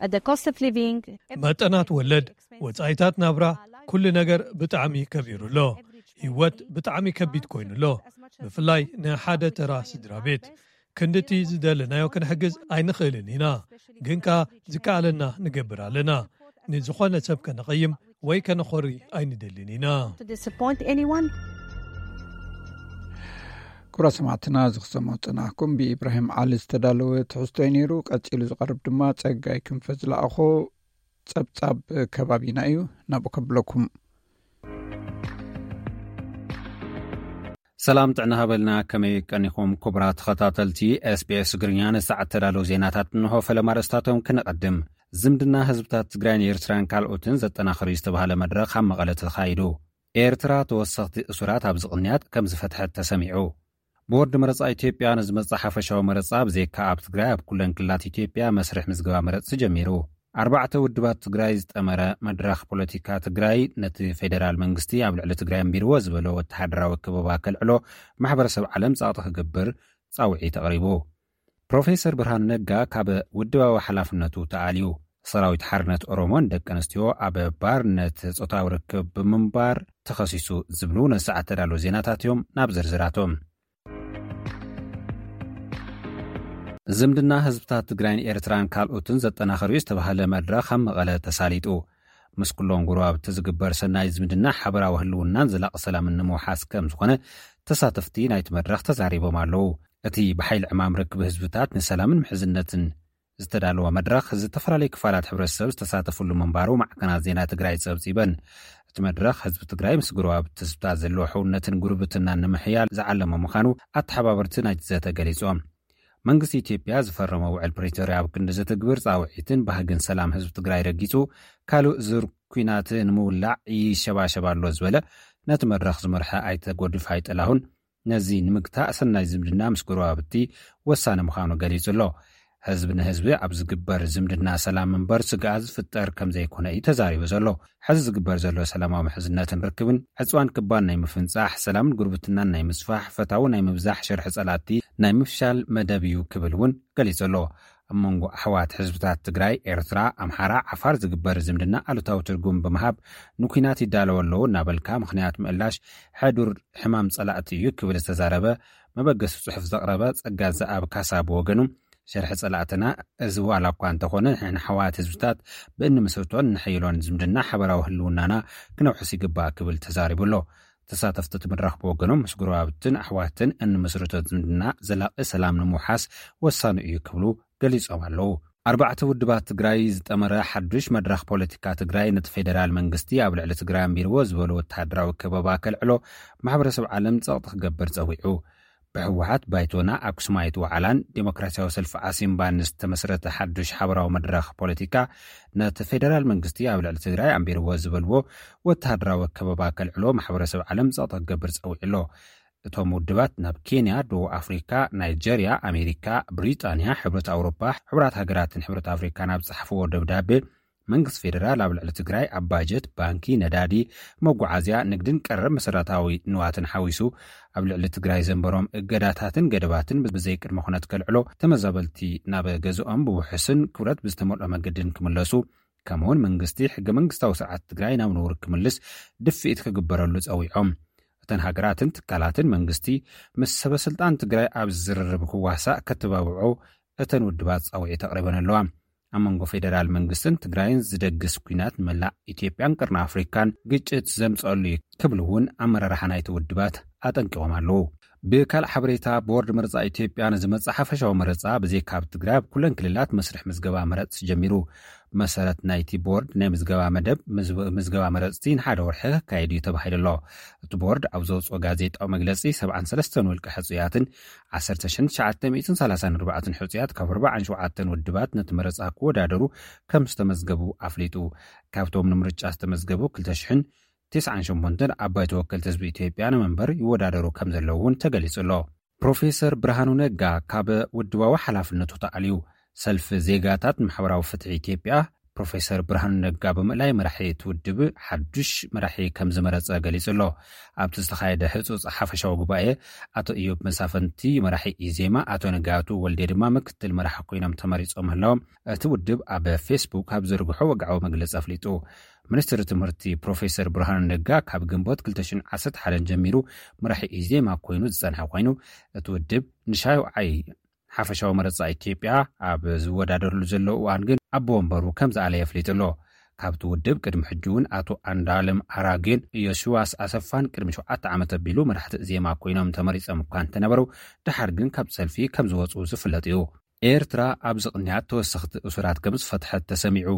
uh, the cost of living. መጠናት ወለድ፣ ወጻኢታት ናብራ፣ ኩሉ ነገር ብጣዕሚ ከቢሩ ኣሎ። ህይወት ብጣዕሚ ከቢድ ኮይኑ ኣሎ፣ ብፍላይ ንሓደ ተራ ስድራ ቤት። ክንድቲ ዝደለናዮ ክንሕግዝ ኣይንኽእልን ኢና፣ ግን ከኣ ዝከኣለና ንገብር ኣለና። ንዝኾነ ሰብ ከነቐይም ወይ ከነኾሪ ኣይንደልን ኢና። To disappoint anyone. ክቡራት ሰማዕትና፣ እዚ ክሰምዑ ዝጸናሕኩም ብኢብራሂም ዓሊ ዝተዳለወ ትሕዝቶ እዩ ነይሩ። ቀጺሉ ዝቐርብ ድማ ጸጋይ ክንፈ ዝለኣኾ ጸብጻብ ከባቢና እዩ። ናብኡ ከብለኩም። ሰላም ጥዕና ሃበልና፣ ከመይ ቀኒኹም ክቡራት ተኸታተልቲ ኤስቢኤስ ትግርኛ? ንሰዓት ተዳለዉ ዜናታት እንሆ። ፈለማ ርእስታቶም ክነቐድም። ዝምድና ህዝብታት ትግራይን ኤርትራን ካልኦትን ዘጠናኽር እዩ ዝተባህለ መድረኽ ኣብ መቐለ ተኻይዱ። ኤርትራ ተወሰኽቲ እሱራት ኣብ ዝቕንያት ከም ዝፈትሐት ተሰሚዑ። ቦርድ መረጻ ኢትዮጵያ ንዝመጽእ ሓፈሻዊ መረጻ ብዘይካ ኣብ ትግራይ ኣብ ኩለን ክልላት ኢትዮጵያ መስርሕ ምዝገባ መረጽቲ ጀሚሩ። ኣርባዕተ ውድባት ትግራይ ዝጠመረ መድረኽ ፖለቲካ ትግራይ ነቲ ፌደራል መንግስቲ ኣብ ልዕሊ ትግራይ ኣንቢርዎ ዝበሎ ወተሃደራዊ ከበባ ከልዕሎ ማሕበረሰብ ዓለም ጸቕጢ ክገብር ጻውዒት ኣቕሪቡ። ፕሮፌሰር ብርሃኑ ነጋ ካብ ውድባዊ ሓላፍነቱ ተኣልዩ። ሰራዊት ሓርነት ኦሮሞን ደቂ ኣንስትዮ ኣብ ባርነት ጾታዊ ርክብ ብምንባር ተኸሲሱ ዝብሉ ነሰዓት ተዳለዉ ዜናታት እዮም። ናብ ዝርዝራቶም። ዝምድና ህዝብታት ትግራይን ኤርትራን ካልኦትን ዘጠናኸር እዩ ዝተባህለ መድረኽ ኣብ መቐለ ተሳሊጡ። ምስ ኩሎም ጎረባብቲ ዝግበር ሰናይ ዝምድና ሓበራዊ ህልውናን ዘላቒ ሰላምን ንምውሓስ ከም ዝኾነ ተሳተፍቲ ናይቲ መድረኽ ተዛሪቦም ኣለዉ። እቲ ብሓይሊ ዕማም ርክብ ህዝብታት ንሰላምን ምሕዝነትን ዝተዳለወ መድረኽ ዝተፈላለዩ ክፋላት ሕብረተሰብ ዝተሳተፍሉ ምንባሩ ማዕከናት ዜና ትግራይ ጸብጺበን። እቲ መድረኽ ህዝቢ ትግራይ ምስ ጎረባብቲ ህዝብታት ዘለዎ ሕውነትን ጉርብትናን ንምሕያል ዝዓለመ ምዃኑ ኣተሓባበርቲ ናይቲ ዘተ ገሊጾም። መንግስቲ ኢትዮጵያ ዝፈረመ ውዕል ፕሪቶርያ ኣብ ክንዲ ዘተግብር ጻውዒትን ባህግን ሰላም ህዝቢ ትግራይ ረጊጹ፣ ካልእ ዙር ኲናት ንምውላዕ ይሸባሸብ ኣሎ ዝበለ ነቲ መድረኽ ዝመርሐ ኣይተ ጎድፋይ ጥላሁን፣ ነዚ ንምግታእ ሰናይ ዝምድና ምስ ጎረባብቲ ወሳኒ ምዃኑ ገሊጹ ኣሎ። ህዝቢ ንህዝቢ ኣብ ዝግበር ዝምድና ሰላም እምበር ስግኣት ዝፍጠር ከም ዘይኮነ እዩ ተዛሪቡ ዘሎ። ሕዚ ዝግበር ዘሎ ሰላማዊ ምሕዝነትን ርክብን ዕጽዋን ክባን ናይ ምፍንጻሕ፣ ሰላምን ጉርብትናን ናይ ምስፋሕ፣ ፈታዊ ናይ ምብዛሕ፣ ሽርሒ ጸላእቲ ናይ ምፍሻል መደብ እዩ ክብል እውን ገሊጹ ኣሎ። ኣብ መንጎ ኣሕዋት ህዝብታት ትግራይ፣ ኤርትራ፣ ኣምሓራ፣ ዓፋር ዝግበር ዝምድና ኣሉታዊ ትርጉም ብምሃብ ንኲናት ይዳለዉ ኣለዉ እናበልካ ምኽንያት ምእላሽ ሕዱር ሕማም ጸላእቲ እዩ ክብል ዝተዛረበ መበገሲ ጽሑፍ ዘቕረበ ጸጋ ዘኣብ ካሳ ብወገኑ፣ ሸርሒ ጸላእትና እዚ ዋላ እኳ እንተኾነ፣ ንሕና ኣሕዋት ህዝብታት ብእንምስርቶን እንሕይሎን ዝምድና ሓበራዊ ህልውናና ክነውሕስ ይግባእ ክብል ተዛሪቡ ኣሎ። ተሳተፍቲ እቲ መድረኽ ብወገኖም፣ ምስ ጎረባብትን ኣሕዋትን እንምስርቶ ዝምድና ዘላቒ ሰላም ንምውሓስ ወሳኒ እዩ ክብሉ ገሊጾም ኣለዉ። ኣርባዕተ ውድባት ትግራይ ዝጠመረ ሓዱሽ መድረኽ ፖለቲካ ትግራይ ነቲ ፌደራል መንግስቲ ኣብ ልዕሊ ትግራይ ኣንቢርዎ ዝበሎ ወተሃደራዊ ከበባ ከልዕሎ ማሕበረሰብ ዓለም ጸቕጢ ክገብር ጸዊዑ። ብህወሓት፣ ባይቶና፣ ኣክሱማይት ዋዕላን ዴሞክራሲያዊ ሰልፊ ዓሲምባን ዝተመስረተ ሓዱሽ ሓበራዊ መድረኽ ፖለቲካ ነቲ ፌደራል መንግስቲ ኣብ ልዕሊ ትግራይ ኣንቢርዎ ዝበልዎ ወተሃደራዊ ከበባ ከልዕሎ ማሕበረሰብ ዓለም ጸቕጢ ክገብር ጸዊዑ ኣሎ። እቶም ውድባት ናብ ኬንያ፣ ደቡብ ኣፍሪካ፣ ናይጀርያ፣ ኣሜሪካ፣ ብሪጣንያ፣ ሕብረት ኣውሮፓ፣ ሕቡራት ሃገራትን ሕብረት ኣፍሪካን ኣብ ዝጸሓፍዎ ደብዳቤ፣ መንግስቲ ፌደራል ኣብ ልዕሊ ትግራይ ኣብ ባጀት፣ ባንኪ፣ ነዳዲ፣ መጓዓዝያ፣ ንግድን ቀረብ መሰረታዊ ንዋትን ሓዊሱ ኣብ ልዕሊ ትግራይ ዘንበሮም እገዳታትን ገደባትን ብዘይቅድመ ኩነት ከልዕሎ፣ ተመዛበልቲ ናብ ገዝኦም ብውሑስን ክብረት ብዝተመልኦ መገድን ክምለሱ፣ ከምኡውን መንግስቲ ሕገ መንግስታዊ ስርዓት ትግራይ ናብ ንቡር ክምልስ ድፍኢት ክግበረሉ ጸዊዖም። እተን ሃገራትን ትካላትን መንግስቲ ምስ ሰበ ስልጣን ትግራይ ኣብ ዝርርብ ክዋሳእ ከተባብዖ እተን ውድባት ጻውዒት ኣቕሪበን ኣለዋ። ኣብ መንጎ ፌደራል መንግስትን ትግራይን ዝደግስ ኲናት ንመላእ ኢትዮጵያን ቀርኒ ኣፍሪካን ግጭት ዘምጸሉ እዩ ክብሉ እውን ኣመራርሓ ናይቲ ውድባት ኣጠንቂቖም ኣለዉ። ብካልእ ሓበሬታ፣ ቦርድ መረጻ ኢትዮጵያ ንዝመጽእ ሓፈሻዊ መረጻ ብዘይካ ኣብ ትግራይ ኣብ ኩለን ክልላት መስርሕ ምዝገባ መረጽቲ ጀሚሩ። መሰረት ናይቲ ቦርድ ናይ ምዝገባ መደብ፣ ምዝ-፣ ምዝገባ መረጽቲ ንሓደ ወርሒ ክካየድ እዩ ተባሂሉ ኣሎ። እቲ ቦርድ ኣብ ዘውፅኦ ጋዜጣዊ መግለፂ፣ ሰብዓን ሰለስተን ውልቀ ሕፁያትን ዓሰርተ ሽሕን ትሽዓተ ሚእትን ሰላሳን ኣርባዕተን ሕፁያት ካብ ኣርባዓን ሸውዓተን ውድባት ነቲ መረፃ ክወዳደሩ ከም ዝተመዝገቡ ኣፍሊጡ። ካብቶም ንምርጫ ዝተመዝገቡ ክልተ ሽሕን ተስዓን ሸሞንተን ኣባይ ተወከልቲ ህዝቢ ኢትዮጵያ ንመንበር ይወዳደሩ ከም ዘለዉ እውን ተገሊጹ ኣሎ። ፕሮፌሰር ብርሃኑ ነጋ ካብ ውድባዊ ሓላፍነቱ ተኣልዩ። ሰልፊ ዜጋታት ንማሕበራዊ ፍትሒ ኢትዮጵያ፣ ፕሮፌሰር ብርሃኑ ነጋ ብምእላይ መራሒ እቲ ውድብ ሓዱሽ መራሒ ከም ዝመረጸ ገሊጹ ኣሎ። ኣብቲ ዝተኻየደ ህጹጽ ሓፈሻዊ ጉባኤ፣ ኣቶ እዮብ መሳፍንቲ መራሒ ኢዜማ፣ ኣቶ ንጋቱ ወልዴ ድማ ምክትል መራሒ ኮይኖም ተመሪጾም ምህላዎም እቲ ውድብ ኣብ ፌስቡክ ኣብ ዝርግሖ ወግዓዊ መግለጺ ኣፍሊጡ። ሚኒስትሪ ትምህርቲ ፕሮፌሰር ብርሃኑ ነጋ ካብ ግንቦት ክልተ ሽሕን ዓሰርተ ሓደን ጀሚሩ መራሒ ኢዜማ ኮይኑ ዝጸንሐ ኮይኑ፣ እቲ ውድብ ንሻውዓይ ሓፈሻዊ መረጻ ኢትዮጵያ ኣብ ዝወዳደርሉ ዘሎ እዋን ግን ኣቦ ወንበሩ ከም ዝኣለየ ኣፍሊጡ ኣሎ። ካብቲ ውድብ ቅድሚ ሕጂ እውን ኣቶ ኣንዳለም ኣራጌን ዮሽዋስ ኣሰፋን ቅድሚ ሸውዓተ ዓመት ኣቢሉ መራሕቲ እዜማ ኮይኖም ተመሪጾም እኳ እንተነበሩ፣ ደሓር ግን ካብ ሰልፊ ከም ዝወጽኡ ዝፍለጥ እዩ። ኤርትራ ኣብዚ ቅንያት ተወሰኽቲ እሱራት ከም ዝፈትሐት ተሰሚዑ።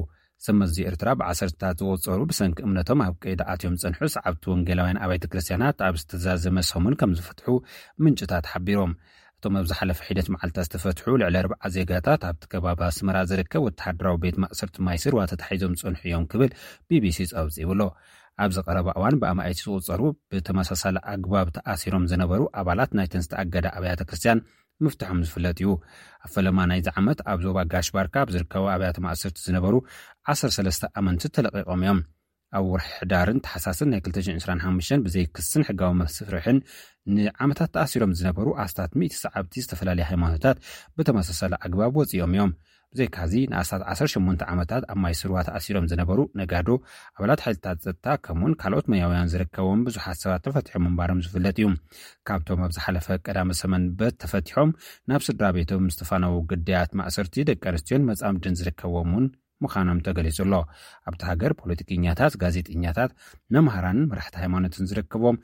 ሰመዚ ኤርትራ ብዓሰርታት ዝቑጸሩ ብሰንኪ እምነቶም ኣብ ቀይዲ ኣትዮም ዝጸንሑ ሰዓብቲ ወንጌላውያን ኣብያተ ክርስቲያናት ኣብ ዝተዛዘመ ሰሙን ከም ዝፈትሑ ምንጭታት ሓቢሮም። እቶም ኣብ ዝሓለፈ ሒደት መዓልታት ዝተፈትሑ ልዕሊ ኣርብዓ ዜጋታት ኣብቲ ከባቢ ኣስመራ ዝርከብ ወተሃደራዊ ቤት ማእሰርቲ ማይስርዋ ተታሒዞም ዝጸንሑ እዮም ክብል ቢቢሲ ጸብጺቡ ኣሎ። ኣብዚ ቀረባ እዋን ብኣማኢት ዝቑጸሩ ብተመሳሳሊ ኣግባብ ተኣሲሮም ዝነበሩ ኣባላት ናይተን ዝተኣገዳ ኣብያተ ክርስቲያን ምፍትሖም ዝፍለጥ እዩ። ኣብ ፈለማ ናይዚ ዓመት ኣብ ዞባ ጋሽ ባርካ ኣብ ዝርከቡ ኣብያተ ማእሰርቲ ዝነበሩ ዓሰርተ ሰለስተ ኣመንቲ ተለቒቖም እዮም። ኣብ ወርሒ ሕዳርን ታሕሳስን ናይ ክልተ ሽሕን ዕስራን ሓሙሽተን ብዘይ ክስን ሕጋዊ መስርሕን ንዓመታት ተኣሲሮም ዝነበሩ ኣስታት ሚእቲ ሰዓብቲ ዝተፈላለየ ሃይማኖታት ብተመሳሳሊ ኣግባብ ወፂኦም እዮም። ብዘይካዚ ንኣስታት ዓሰርተ ሸሞንተ ዓመታት ኣብ ማይ ስርዋ ተኣሲሮም ዝነበሩ ነጋዶ፣ ኣባላት ሓይልታት ጸጥታ ከምኡውን ካልኦት ሞያውያን ዝርከቦም ብዙሓት ሰባት ተፈቲሖም ምንባሮም ዝፍለጥ እዩ። ካብቶም ኣብ ዝሓለፈ ቀዳመ ሰመንበት ተፈቲሖም ናብ ስድራ ቤቶም ዝተፋነዉ ግዳያት ማእሰርቲ ደቂ ኣንስትዮን መጻምድን ዝርከብዎም እውን ምዃኖም ተገሊጹ ኣሎ። ኣብቲ ሃገር ፖለቲከኛታት፣ ጋዜጠኛታት፣ መምሃራንን መራሕቲ ሃይማኖትን ዝርከብዎም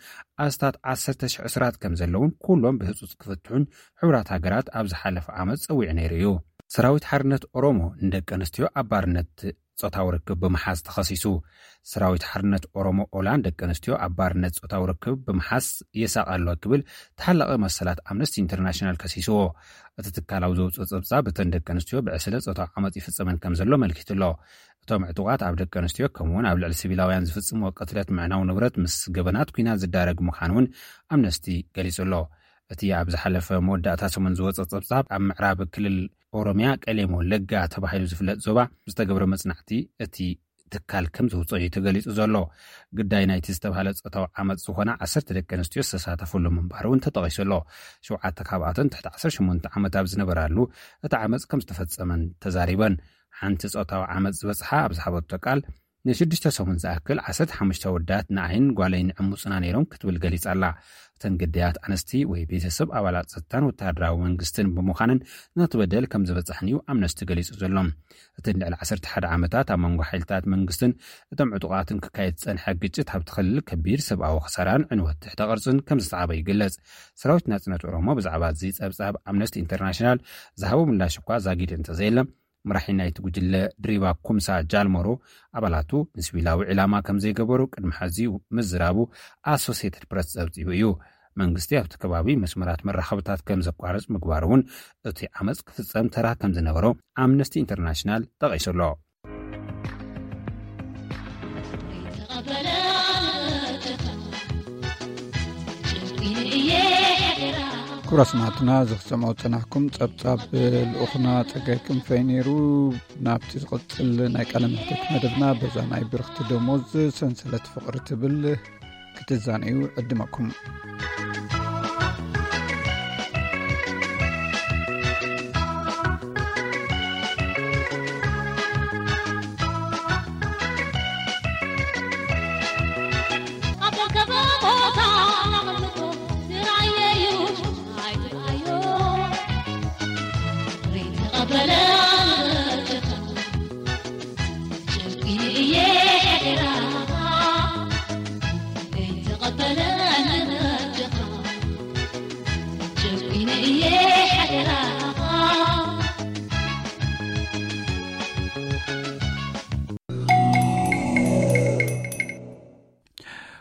ኣስታት ዓሰርተ ሽሕ እሱራት ከም ዘለውን ኩሎም ብህጹጽ ክፍትሑን ሕቡራት ሃገራት ኣብ ዝሓለፈ ዓመት ጸዊዑ ነይሩ እዩ። ሰራዊት ሓርነት ኦሮሞ ንደቂ ኣንስትዮ ኣብ ባርነት ጾታዊ ርክብ ብምሓዝ ተኸሲሱ። ሰራዊት ሓርነት ኦሮሞ ኦላ ንደቂ ኣንስትዮ ኣብ ባርነት ጾታዊ ርክብ ብምሓዝ የሳቕ ኣሎ ክብል ተሓላቒ መሰላት ኣምነስቲ ኢንተርናሽናል ከሲስዎ። እቲ ትካል ኣብ ዘውፅኦ ጸብጻብ እተን ደቂ ኣንስትዮ ብዕስለ ጾታዊ ዓመፅ ይፍጸመን ከም ዘሎ ኣመልኪቱ ኣሎ። እቶም ዕጡቓት ኣብ ደቂ ኣንስትዮ ከምኡውን ኣብ ልዕሊ ሲቪላውያን ዝፍጽምዎ ቅትለት፣ ምዕናው ንብረት ምስ ገበናት ኲናት ዝዳረግ ምዃኑ እውን ኣምነስቲ ገሊጹ ኣሎ። እቲ ኣብ ዝሓለፈ መወዳእታ ሰሙን ዝወጸ ጸብጻብ ኣብ ምዕራብ ክልል ኦሮሚያ ቀሌም ወለጋ ተባሂሉ ዝፍለጥ ዞባ ዝተገብረ መጽናዕቲ እቲ ትካል ከም ዘውፅኦ እዩ ተገሊጹ ዘሎ። ግዳይ ናይቲ ዝተባህለ ጾታዊ ዓመፅ ዝኾና ዓሰርተ ደቂ ኣንስትዮ ዝተሳተፈሉ ምንባሩ እውን ተጠቒሱ ኣሎ። ሸውዓተ ካብኣተን ትሕቲ ዓሰርተ ሸሞንተ ዓመት ኣብ ዝነበራሉ እቲ ዓመፅ ከም ዝተፈጸመን ተዛሪበን። ሓንቲ ጾታዊ ዓመፅ ዝበጽሓ ኣብ ዝሃበቶ ቃል፣ ንሽዱሽተ ሰሙን ዝኣክል ዓሰርተ ሓሙሽተ ኣወዳት ንዓይን ጓለይን ዕሙጽና ነይሮም ክትብል ገሊጻ ኣላ። እተን ግዳያት ኣንስቲ ወይ ቤተሰብ ኣባላት ጸጥታን ወተሃደራዊ መንግስትን ብምዃነን ነቲ በደል ከም ዝበጽሐን እዩ ኣምነስቲ ገሊጹ ዘሎ። እተን ልዕሊ ዓሰርተ ሓደ ዓመታት ኣብ መንጎ ሓይልታት መንግስትን እቶም ዕጡቓትን ክካየድ ዝጸንሐ ግጭት ኣብቲ ክልል ከቢድ ሰብኣዊ ክሳራን ዕንወት ትሕተ ቅርጽን ከም ዘስዓበ ይግለጽ። ሰራዊት ናጽነት ኦሮሞ ብዛዕባ እዚ ጸብጻብ ኣምነስቲ ኢንተርናሽናል ዝሃቦ ምላሽ እኳ ዛጊድ እንተዘየለ፣ መራሒ ናይቲ ጉጅለ ድሪባ ኩምሳ ጃልመሮ ኣባላቱ ንሲቪላዊ ዕላማ ከም ዘይገበሩ ቅድሚ ሕዚ ምዝራቡ ኣሶሴትድ ፕረስ ጸብጺቡ እዩ። መንግስቲ ኣብቲ ከባቢ መስመራት መራኸብታት ከም ዘቋርጽ ምግባሩ እውን እቲ ዓመፅ ክፍጸም ተራ ከም ዝነበሮ ኣምነስቲ ኢንተርናሽናል ጠቒሱ ኣሎ። ክቡራት ሰማዕትና፣ እዚ ክትሰምዑ ዝጸናሕኩም ጸብጻብ ልኡኽና ጸጋይ ክንፈይ ነይሩ። ናብቲ ዝቕጽል ናይ ቃለ መሕትት መደብና፣ በዛ ናይ ብርኽቲ ደሞዝ ሰንሰለት ፍቕሪ ትብል ክትዛነዩ ዕድመኩም።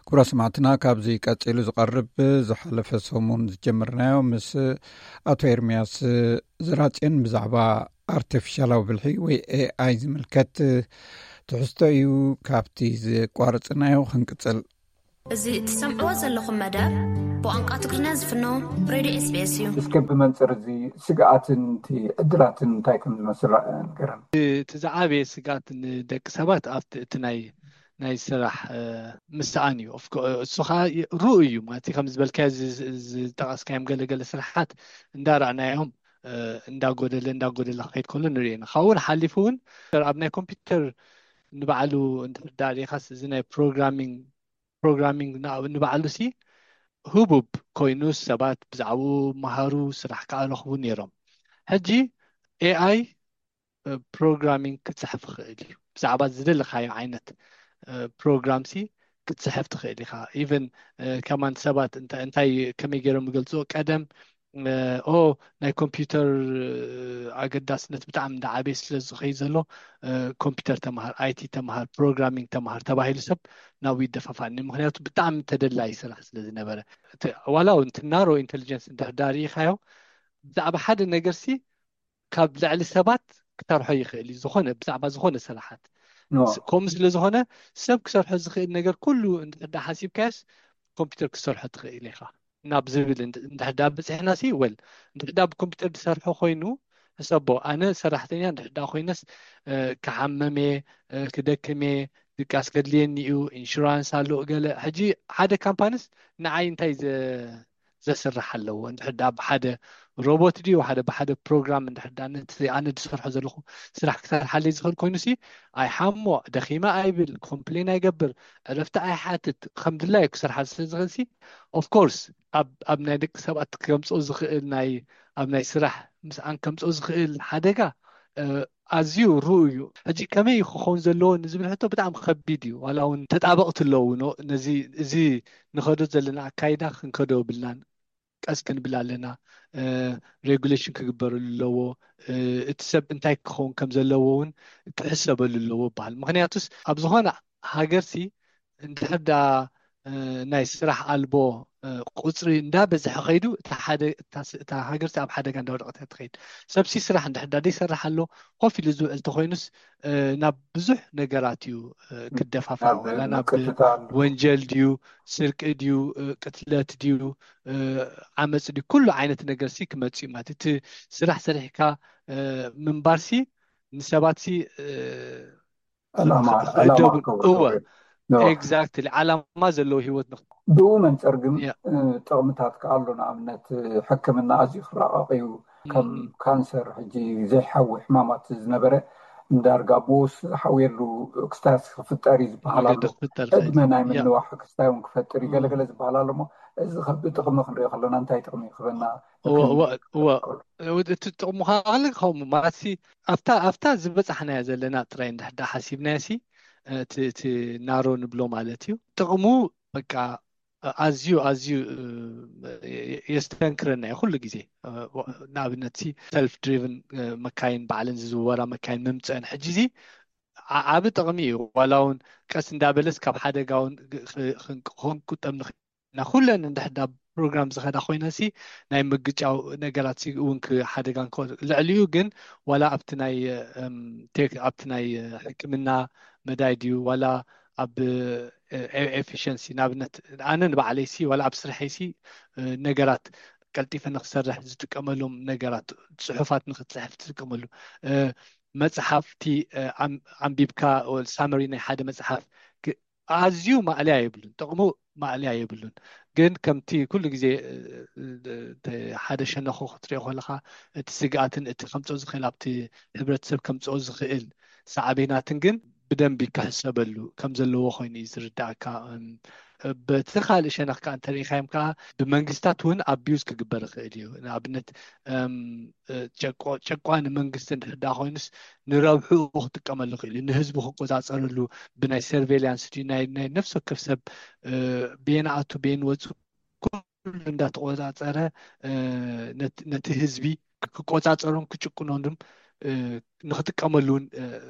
ክቡራት ሰማዕትና፣ ካብዚ ቀጺሉ ዝቐርብ ዝሓለፈ ሰሙን ዝጀመርናዮ ምስ ኣቶ ኤርምያስ ዝራጽዮን ብዛዕባ ኣርቲፊሻላዊ ብልሒ ወይ ኤኣይ ዝምልከት ትሕዝቶ እዩ። ካብቲ ዝቋረጽናዮ ክንቅጽል። እዚ እትሰምዕዎ ዘለኹም መደብ ብቋንቋ ትግርኛ ዝፍኖ ሬድዮ ኤስቢኤስ እዩ። እስከ ብመንጽር እዚ ስግኣትን እቲ ዕድላትን እንታይ ከም ዝመስል ንገረን። እቲ ዝዓበየ ስግኣት ንደቂ ሰባት ኣብቲ እቲ ናይ ናይ ስራሕ ምስኣን እዩ። እሱ ከዓ ርኡ እዩ ማለት ከም ዝበልካዮ ዝጠቀስካዮም ገለገለ ስራሓት እንዳረኣናዮም እንዳጎደለ እንዳጎደለ ክኸይድ ከሎ ንሪኦ ኢና። ካብኡ ሓሊፉ እውን ኣብ ናይ ኮምፒውተር ንባዕሉ እንድሕር ዳሪኻስ እዚ ናይ ፕሮግራሚንግ ፕሮግራሚንግ ንባዕሉ ሲ ህቡብ ኮይኑ ሰባት ብዛዕባኡ መሃሩ ስራሕ ከዓ ረኽቡ ነይሮም። ሕጂ ኤኣይ ፕሮግራሚንግ ክትፅሕፍ ይኽእል እዩ። ብዛዕባ ዝደለካዮ ዓይነት ፕሮግራም ሲ ክትፅሕፍ ትኽእል ኢኻ። ኢቨን ከማን ሰባት እንታይ ከመይ ገይሮም ይገልፅዎ፣ ቀደም ኦ ናይ ኮምፒውተር ኣገዳስነት ብጣዕሚ እንዳዓበየ ስለ ዝኸይድ ዘሎ ኮምፒውተር ተምሃር፣ ኣይቲ ተምሃር፣ ፕሮግራሚንግ ተምሃር ተባሂሉ ሰብ ናብኡ ይደፋፋእኒ። ምክንያቱ ብጣዕሚ ተደላይ ስራሕ ስለ ዝነበረ። ዋላ እውን ናሮ ኢንቴሊጀንስ እንድሕር ዳርኢኻዮ ብዛዕባ ሓደ ነገር ሲ ካብ ልዕሊ ሰባት ክሰርሖ ይኽእል እዩ። ዝኾነ ብዛዕባ ዝኾነ ስራሓት ከምኡ ስለ ዝኾነ ሰብ ክሰርሖ ዝኽእል ነገር ኩሉ እንድሕር ሓሲብካዮስ ኮምፒውተር ክሰርሖ ትኽእል ኢኻ ናብ ዝብል እንድሕር ዳ በፂሕና ሲ ወል እንድሕር ዳ ብኮምፒውተር ዝሰርሖ ኮይኑ ሕሰቦ። ኣነ ሰራሕተኛ እንድሕር ዳ ኮይነስ ክሓመም እየ፣ ክደክም እየ፣ ድቃስ ከድልየኒ እዩ፣ ኢንሹራንስ ኣሎ ገለ። ሕጂ ሓደ ካምፓኒስ ንዓይ እንታይ ዘስርሕ ኣለዎ? እንድሕር ዳ ብሓደ ሮቦት ድዩ ሓደ ብሓደ ፕሮግራም እንድሕር ዳ ነቲ ኣነ ዝሰርሖ ዘለኹ ስራሕ ክሰርሓለይ ዝኽእል ኮይኑ ሲ ኣይሓሞ፣ ደኺመ ኣይብል፣ ኮምፕሌን ኣይገብር፣ ዕረፍቲ ኣይሓትት፣ ከም ድላዩ ክሰርሓ ስለ ዝኽእል ሲ ኦፍኮርስ ኣብ ናይ ደቂ ሰባት ከምፅኦ ዝኽእል ናይ ኣብ ናይ ስራሕ ምስኣን ከምፅኦ ዝኽእል ሓደጋ ኣዝዩ ርኡ እዩ። ሕጂ ከመይ ክኸውን ዘለዎ ንዝብል ሕቶ ብጣዕሚ ከቢድ እዩ። ዋላ እውን ተጣበቕቲ ኣለዉ። ነዚ እዚ ንኸዶ ዘለና ኣካይዳ ክንከዶ ብልናን ቀስ ክንብል ኣለና። ሬጉሌሽን ክግበረሉ ኣለዎ። እቲ ሰብ እንታይ ክኸውን ከም ዘለዎ እውን ክሕሰበሉ ኣለዎ ይበሃል። ምክንያቱስ ኣብ ዝኾነ ሃገርሲ እንድሕር ዳ ናይ ስራሕ ኣልቦ ቁፅሪ እንዳበዝሐ ከይዱ እታ ሃገርሲ ኣብ ሓደጋ እንዳወደቀት እያ ትኸይድ። ሰብሲ ስራሕ እንድሕር ዳ ዘይሰርሕ ኣሎ ኮፍ ኢሉ ዝውዕል ተኮይኑስ ናብ ብዙሕ ነገራት እዩ ክደፋፋእ፣ ወላ ናብ ወንጀል ድዩ፣ ስርቂ ድዩ፣ ቅትለት ድዩ፣ ዓመፅ ድዩ፣ ኩሉ ዓይነት ነገርሲ ክመፅእ እዩ ማለት እዩ። እቲ ስራሕ ሰሪሕካ ምንባርሲ ንሰባትሲ ዕላማ ዕላማ ክገብሩ እወ። ይኽእሉ። ኖ። ኤግዛክትሊ፣ ዓላማ ዘለዎ ህይወት ንክ- ብኡ መንፅር ግን ያ። እ፣ ጥቕምታት ከኣ ኣሎ። ንኣብነት ሕክምና ኣዝዩ ክራቐቕ እዩ። ከም ም። ካንሰር ሕጂ ዘይሓዊ ሕማማት ዝነበረ ዳርጋ ብኡ ዝሓውየሉ ክስታያት ክፍጠር እዩ ዝበሃል ኣሎ። መገዲ ክፍጠር ይኽእል። ዕድመ ናይ ያ። ምንዋሕ ክስታይ እውን ክፈጥር እዩ ም። ገለገለ ዝበሃል ኣሎ። እሞ እዚ ከ ብጥቕሚ ክንሪኦ ከለና እንታይ ጥቕሚ ይኽበና? እወ፣ እወ፣ እወ። እቲ ጥቕሙ ከዓ ከምኡ ማለት ሲ ኣብታ ኣብታ ዝበፃሕናያ ዘለና ጥራይ እንድሕር ዳ ሓሲብናዮ ሲ እቲ እቲ ናሮ ንብሎ ማለት እዩ። ጥቕሙ በቃ ኣዝዩ ኣዝዩ እ፣ የስተንክረና እዩ ኩሉ ግዜ። እ፣ ንኣብነት ሲ ሰልፍ ድሪቭን መካይን ባዕለን ዝዝወራ መካይን ምምፀአን ሕጂ ዚ ዓ- ዓቢ ጥቕሚ እዩ። ዋላ እውን ቀስ እንዳበለስ ካብ ሓደጋ እውን ግ- ክ- ክን- ክንቁጠብ ንኽእል ኢና። ኩለን እንድሕር ዳ ፕሮግራም ዝኸዳ ኮይነን ሲ ናይ ምግጫው ነገራት ሲ እውን ክ- ሓደጋ ንክወ- ልዕሊኡ ግን ዋላ ኣብቲ ናይ እም፣ ቴክ ኣብቲ ናይ ሕክምና መዳይ ድዩ ዋላ ኣብ ኤፊሽንሲ ንኣብነት ኣነ ንባዕለይ ሲ ዋላ ኣብ ስርሐይ ሲ እ፣ ነገራት ቀልጢፈ ንክሰርሕ ዝጥቀመሎም ነገራት ጽሑፋት ንክትጽሕፍ ትጥቀመሉ እ፣ መጽሓፍቲ እ፣ ኣም- ኣንቢብካ ሳመሪ ናይ ሓደ መጽሓፍ ክ- ኣዝዩ ማእለያ የብሉን፣ ጥቕሙ ማእለያ የብሉን። ግን ከምቲ ኩሉ ግዜ እ፣ እ፣ እ፣ ሓደ ሸነኹ ክትሪኦ ከለካ እቲ ስግኣትን እቲ ከምፅኦ ዝኽእል ኣብቲ ሕብረተሰብ ከምፅኦ ዝኽእል ሳዕቤናትን ግን ብደንቢ ክሕሰበሉ ከም ዘለዎ ኮይኑ እዩ ዝርዳእካ። እም፣ በቲ ካልእ ሸነኽ ከዓ እንተሪኢኻዮም ከዓ ብመንግስታት እውን ኣቢዩዝ ክግበር ይኽእል እዩ። ንኣብነት እም፣ እ፣ ጨቆ- ጨቋኒ መንግስቲ እንድሕር ዳ ኮይኑስ ንረብሕኡ ክጥቀመሉ ይኽእል እዩ። ንህዝቡ ክቆፃፀረሉ ብናይ ሰርቬይላንስ ድዩ ናይ ናይ ነፍሲ ወከፍ ሰብ እ፣ ቤን ኣቱ ቤን ወፁ ኩሉ እንዳተቆፃፀረ እ፣ ነት- ነቲ ህዝቢ ክቆፃፀሮን ክጭቁኖንም እ፣ ንክጥቀመሉ እውን እ፣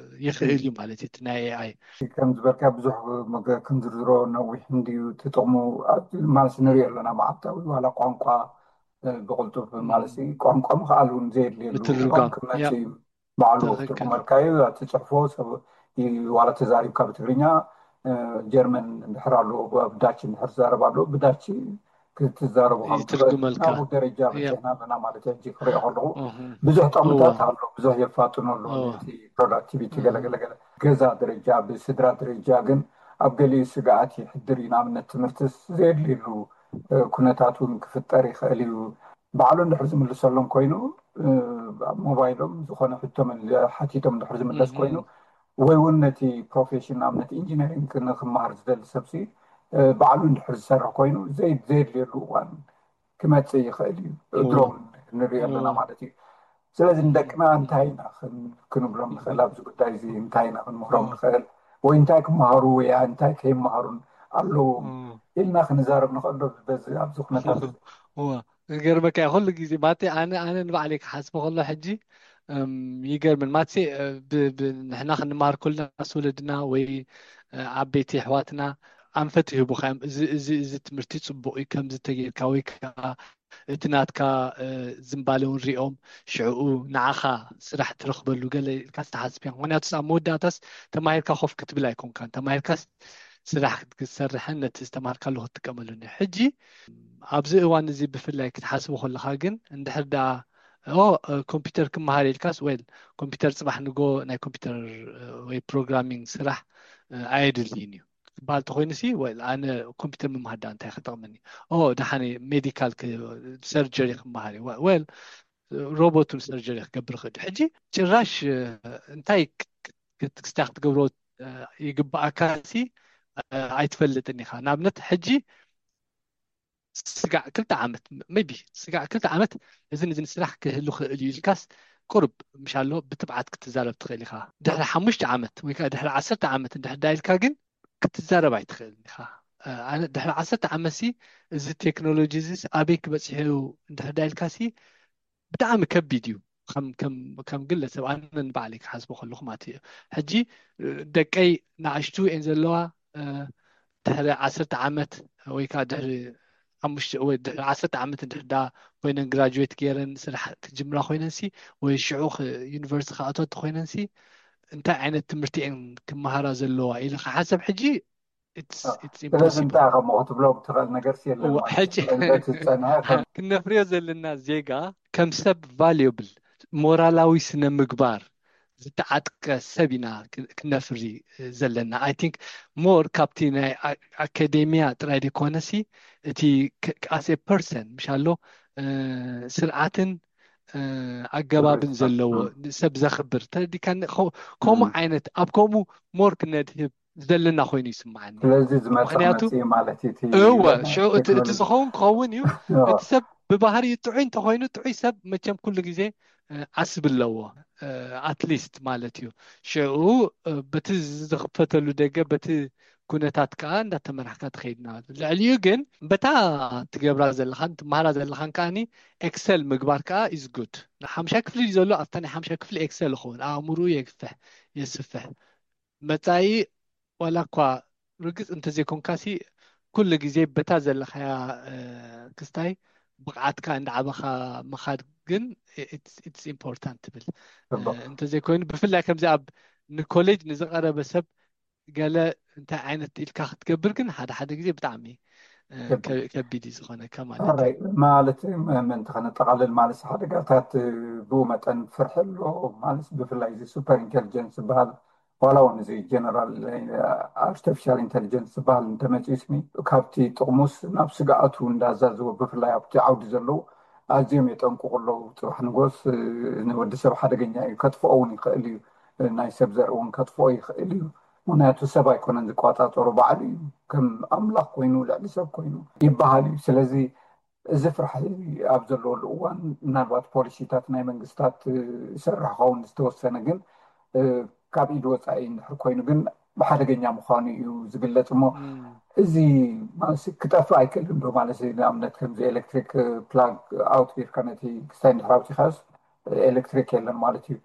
ይኽእል እዩ ማለት እዩ። እቲ ናይ ኤኣይ ከም ዝበልካ ብዙሕ መገ- ክንዝርዝሮ ነዊሕ እንድዩ እቲ ጥቕሙ። ኣብ- ማለት ንሪኦ ኣለና መዓልታዊ ዋላ ቋንቋ እ፣ ብቕልጡፍ ም። ማለት እዩ። ቋንቋ ምኽኣል እውን ዘየድልየሉ ምትርጓም። እዋን ክመፅእ ያ። እዩ። ባዕሉ ትኽክል። ትርጉመልካዩ ትፅሕፎ ሰብ እዩ። ዋላ ተዛሪብካ ብትግርኛ እ፣ ጀርመን እንድሕር ኣሎ ኣብ ዳች እንድሕር ትዛረብ ኣሎ ብዳች ክትዛረቡ ከም ትኽእል ይትርጉመልካ። ናብኡ ደረጃ ያ። በፂሕና ኣለና ማለት እዩ። ሕጂ ክሪኦ ከለኹ እህ። ብዙሕ ጥቕምታት እወ። ኣሎ፣ ብዙሕ የፋጥኖ ኣሎ እወ። ነቲ ፕሮዳክቲቪቲ እህ። ገለገለገለ። ገዛ ደረጃ ብስድራ ደረጃ ግን ኣብ ገሊኡ ስግኣት ይሕድር እዩ። ንኣብነት ትምህርትስ ዘየድልየሉ እ፣ ኩነታት እውን ክፍጠር ይኽእል እዩ። ባዕሉ እንድሕር ዝምልሰሎም ኮይኑ እ፣ ኣብ ሞባይሎም ዝኾነ ሕቶ መል- ሓቲቶም እንድሕር ዝምለስ እህ። ኮይኑ ወይ እውን ነቲ ፕሮፌሽን ንኣብነት ኢንጂነሪንግ ንክመሃር ዝደሊ ሰብሲ እ፣ ባዕሉ እንድሕር ዝሰርሕ ኮይኑ ዘይ- ዘየድልየሉ እዋን ክመፅእ ይኽእል እዩ። እዎ። ድሮን ንሪኦ ኣለና እዎ። ማለት እዩ። ስለዚ ንደቅና እንታይ ኢና ክን- ክንብሎም ንኽእል? ኣብዚ ጉዳይ እዚ እንታይ ኢና ክንምህሮም ንኽእል? ወይ እንታይ ክመሃሩ ወይ እንታይ ከይመሃሩን ኣለዎም ኢልና ክንዛረብ ንኽእል ዶ? በዚ ኣብዚ ኩነታት እዚ እዋ፣ ይገርመካ እዩ። ኩሉ ግዜ ማለተይ ኣነ ኣነ ንባዕለይ ክሓስቦ ከሎ ሕጂ እም፣ ይገርምን ማለተይ እ፣ ብ- ብ- ንሕና ክንመሃር ከለና ምስ ወለድና ወይ እ፣ ዓበይቲ ኣሕዋትና ኣንፈት ይህቡኻ እዮም። እዚ እዚ እዚ ትምህርቲ ፅቡቅ እዩ፣ ከምዚ ተጌርካ ወይ ከዓ እቲ ናትካ እ፣ ዝንባለ እውን ሪኦም ሽዕኡ ንዓኻ ስራሕ ትረኽበሉ ገለ ኢልካ ዝተሓስብ እዮም። ምክንያቱ ኣብ መወዳእታስ ተማሂርካ ኮፍ ክትብል ኣይኮንካን፣ ተማሂርካስ ስራሕ ክትሰርሕን ነቲ ዝተማሃርካሉ ክትጥቀመሉን እዩ። ሕጂ ኣብዚ እዋን እዚ ብፍላይ ክትሓስቦ ከለካ ግን እንድሕር ደኣ ኦ ኮምፒውተር ክመሃር ኢልካስ ወል ኮምፒውተር ፅባሕ ንጎ ናይ ኮምፒውተር ወይ ፕሮግራሚንግ ስራሕ ኣየድልይን እዩ ክበሃል ተኮይኑ ሲ ወል ኣነ ኮምፒውተር ምምሃር ዳ እንታይ ክጠቕመኒ? ኦ ደሓነ ሜዲካል ሰርጀሪ ክመሃር እዩ ወል ሮቦት እውን ሰርጀሪ ክገብር ይኽእል እዩ። ሕጂ ጭራሽ እንታይ ክስታ ክትገብሮ ይግባኣካ ሲ ኣይትፈልጥን ኢኻ። ንኣብነት ሕጂ ስጋዕ ክልተ ዓመት maybe ስጋዕ ክልተ ዓመት እዝን እዝን ስራሕ ክህሉ ክእል እዩ ኢልካስ ቁርብ ምሻሎ ብትብዓት ክትዛረብ ትኽእል ኢኻ። ድሕሪ ሓሙሽተ ዓመት ወይ ከዓ ድሕሪ ዓሰርተ ዓመት እንድሕር ዳ ኢልካ ግን ክትዛረብ ኣይትኽእልን ኢኻ። ኣነ ድሕሪ ዓሰርተ ዓመት ሲ እዚ ቴክኖሎጂ እዚስ ኣበይ ክበፅሕ እዩ እንድሕር ዳ ኢልካ ሲ ብጣዕሚ ከቢድ እዩ። ከም ከም ከም ግለሰብ ኣነ ንባዕለይ ክሓስቦ ከለኹ ማለት እዩ። ሕጂ ደቀይ ንኣሽቱ እየን ዘለዋ ድሕሪ ዓሰርተ ዓመት ወይ ከዓ ድሕሪ ሓሙሽተ ወይ ድሕሪ ዓሰርተ ዓመት እንድሕር ዳ ኮይነን ግራጁዌት ገይረን ስራሕ ክጅምራ ኮይነን ሲ ወይ ሽዑ ዩኒቨርሲቲ ክኣትዋ ተኮይነን ሲ እንታይ ዓይነት ትምህርቲ እየን ክመሃራ ዘለዋ ኢለ ክሓሰብ ሕጂ ስለዚ እንታይ ከምኡ ክትብሎም ትኽእል ነገር የለን። ሕጂ ክነፍርዮ ዘለና ዜጋ ከም ሰብ ቫልዩብል ሞራላዊ ስነ ምግባር ዝተዓጥቀ ሰብ ኢና ክነፍሪ ዘለና። I think more ካብቲ ናይ ኣካዴሚያ ጥራይ ዘይኮነሲ እቲ as a person ምሻሎ ስርዓትን ኣገባብን ዘለዎ ሰብ ዘኽብር ተረዲካኒ። ከምኡ ዓይነት ኣብ ከምኡ more ክነድህብ ዘለና ኮይኑ ይስምዓኒ። ስለዚ ዝመጽእ ምኽንያቱ መጽእ ማለት እዩ እቲ እወ፣ ሽዑ እቲ እቲ ቴክኖሎጂ። ዝኸውን ክኸውን እዩ። እቲ ሰብ ብባህሪኡ ጥዑይ እንተኾይኑ፣ ጥዑይ ሰብ መቸም ኩሉ ግዜ እ፣ ዓስቢ ኣለዎ። ኣትሊስት ማለት እዩ። ሽዑ እ፣ በቲ ዝኽፈተሉ ደገ፣ በቲ ኩነታት ከዓ እንዳተመራሕካ ትኸይድ ማለት እዩ። ልዕሊኡ ግን በታ ትገብራ ዘለኻን ትመሃራ ዘለኻን ከዓኒ ኤክሰል ምግባር ከዓ ኢዝ ጉድ። ሓምሻይ ክፍሊ እዩ ዘሎ፣ ኣብታ ናይ ሓምሻይ ክፍሊ ኤክሰል ይኸውን፣ ኣእምርኡ የግፍሕ የስፍሕ። መጻኢ ዋላ እኳ ርግጽ እንተዘይኮንካሲ ኩሉ ግዜ በታ ዘለኻያ እ፣ ክስታይ ብቕዓትካ እንዳዓበኻ ምኻድ ግን ኢትስ ኢምፖርታንት ትብል። እ፣ ጽቡቅ። እንተዘይኮይኑ ብፍላይ ከምዚ ኣብ ንኮሌጅ ንዝቐረበ ሰብ ገለ እንታይ ዓይነት ኢልካ ክትገብር ግን ሓደ ሓደ ግዜ ብጣዕሚ እ፣ ከቢድ። ከ- ከቢድ እዩ ዝኾነካ ማለት እዩ። ኦራይት፣ ማለት ም- ምእንቲ ከነጠቃልል ማለት ሓደጋታት እ፣ ብኡ መጠን ፍርሒ ኣሎ ማለት ብፍላይ እዚ ሱፐር ኢንቴሊጀንስ ዝበሃል ዋላ እውን እዚ ጀነራል ኣርቲፊሻል ኢንቴሊጀንስ ዝበሃል እንተመፂኡ ስሚ ካብቲ ጥቕሙስ ናብ ስግኣቱ እንዳዛዝወ ብፍላይ ኣብቲ ዓውዲ ዘለዉ ኣዝዮም የጠንቅቑ ኣለዉ። ፅባሕ ንጎስ እ፣ ንወዲ ሰብ ሓደገኛ እዩ፣ ከጥፍኦ እውን ይኽእል እዩ። እ፣ ናይ ሰብ ዘርኢ እውን ከጥፍኦ ይኽእል እዩ። ምክንያቱ ሰብ ኣይኮነን ዝቆፃፀሮ፣ ባዕሉ እዩ ከም ኣምላኽ ኮይኑ ልዕሊ ሰብ ኮይኑ ይበሃል እዩ። ስለዚ እዚ ፍርሒ ኣብ ዘለወሉ እዋን ምናልባት ፖሊሲታት ናይ መንግስታት እ፣ ይሰርሕ ኸውን ዝተወሰነ ግን እ፣ ካብ ኢድ ወፃኢ እንድሕር ኮይኑ ግን ብሓደገኛ ምዃኑ እዩ ዝግለፅ እሞ እም፣ እዚ ማለት ክጠፍእ ኣይክእልን ዶ ማለት እዩ? ንኣብነት ከምዚ ኤሌክትሪክ ፕላግ ኣውት ጌርካ ነቲ ክስታይ እንድሕር ኣውፂኻዮስ ኤሌክትሪክ የለን ማለት እዩ።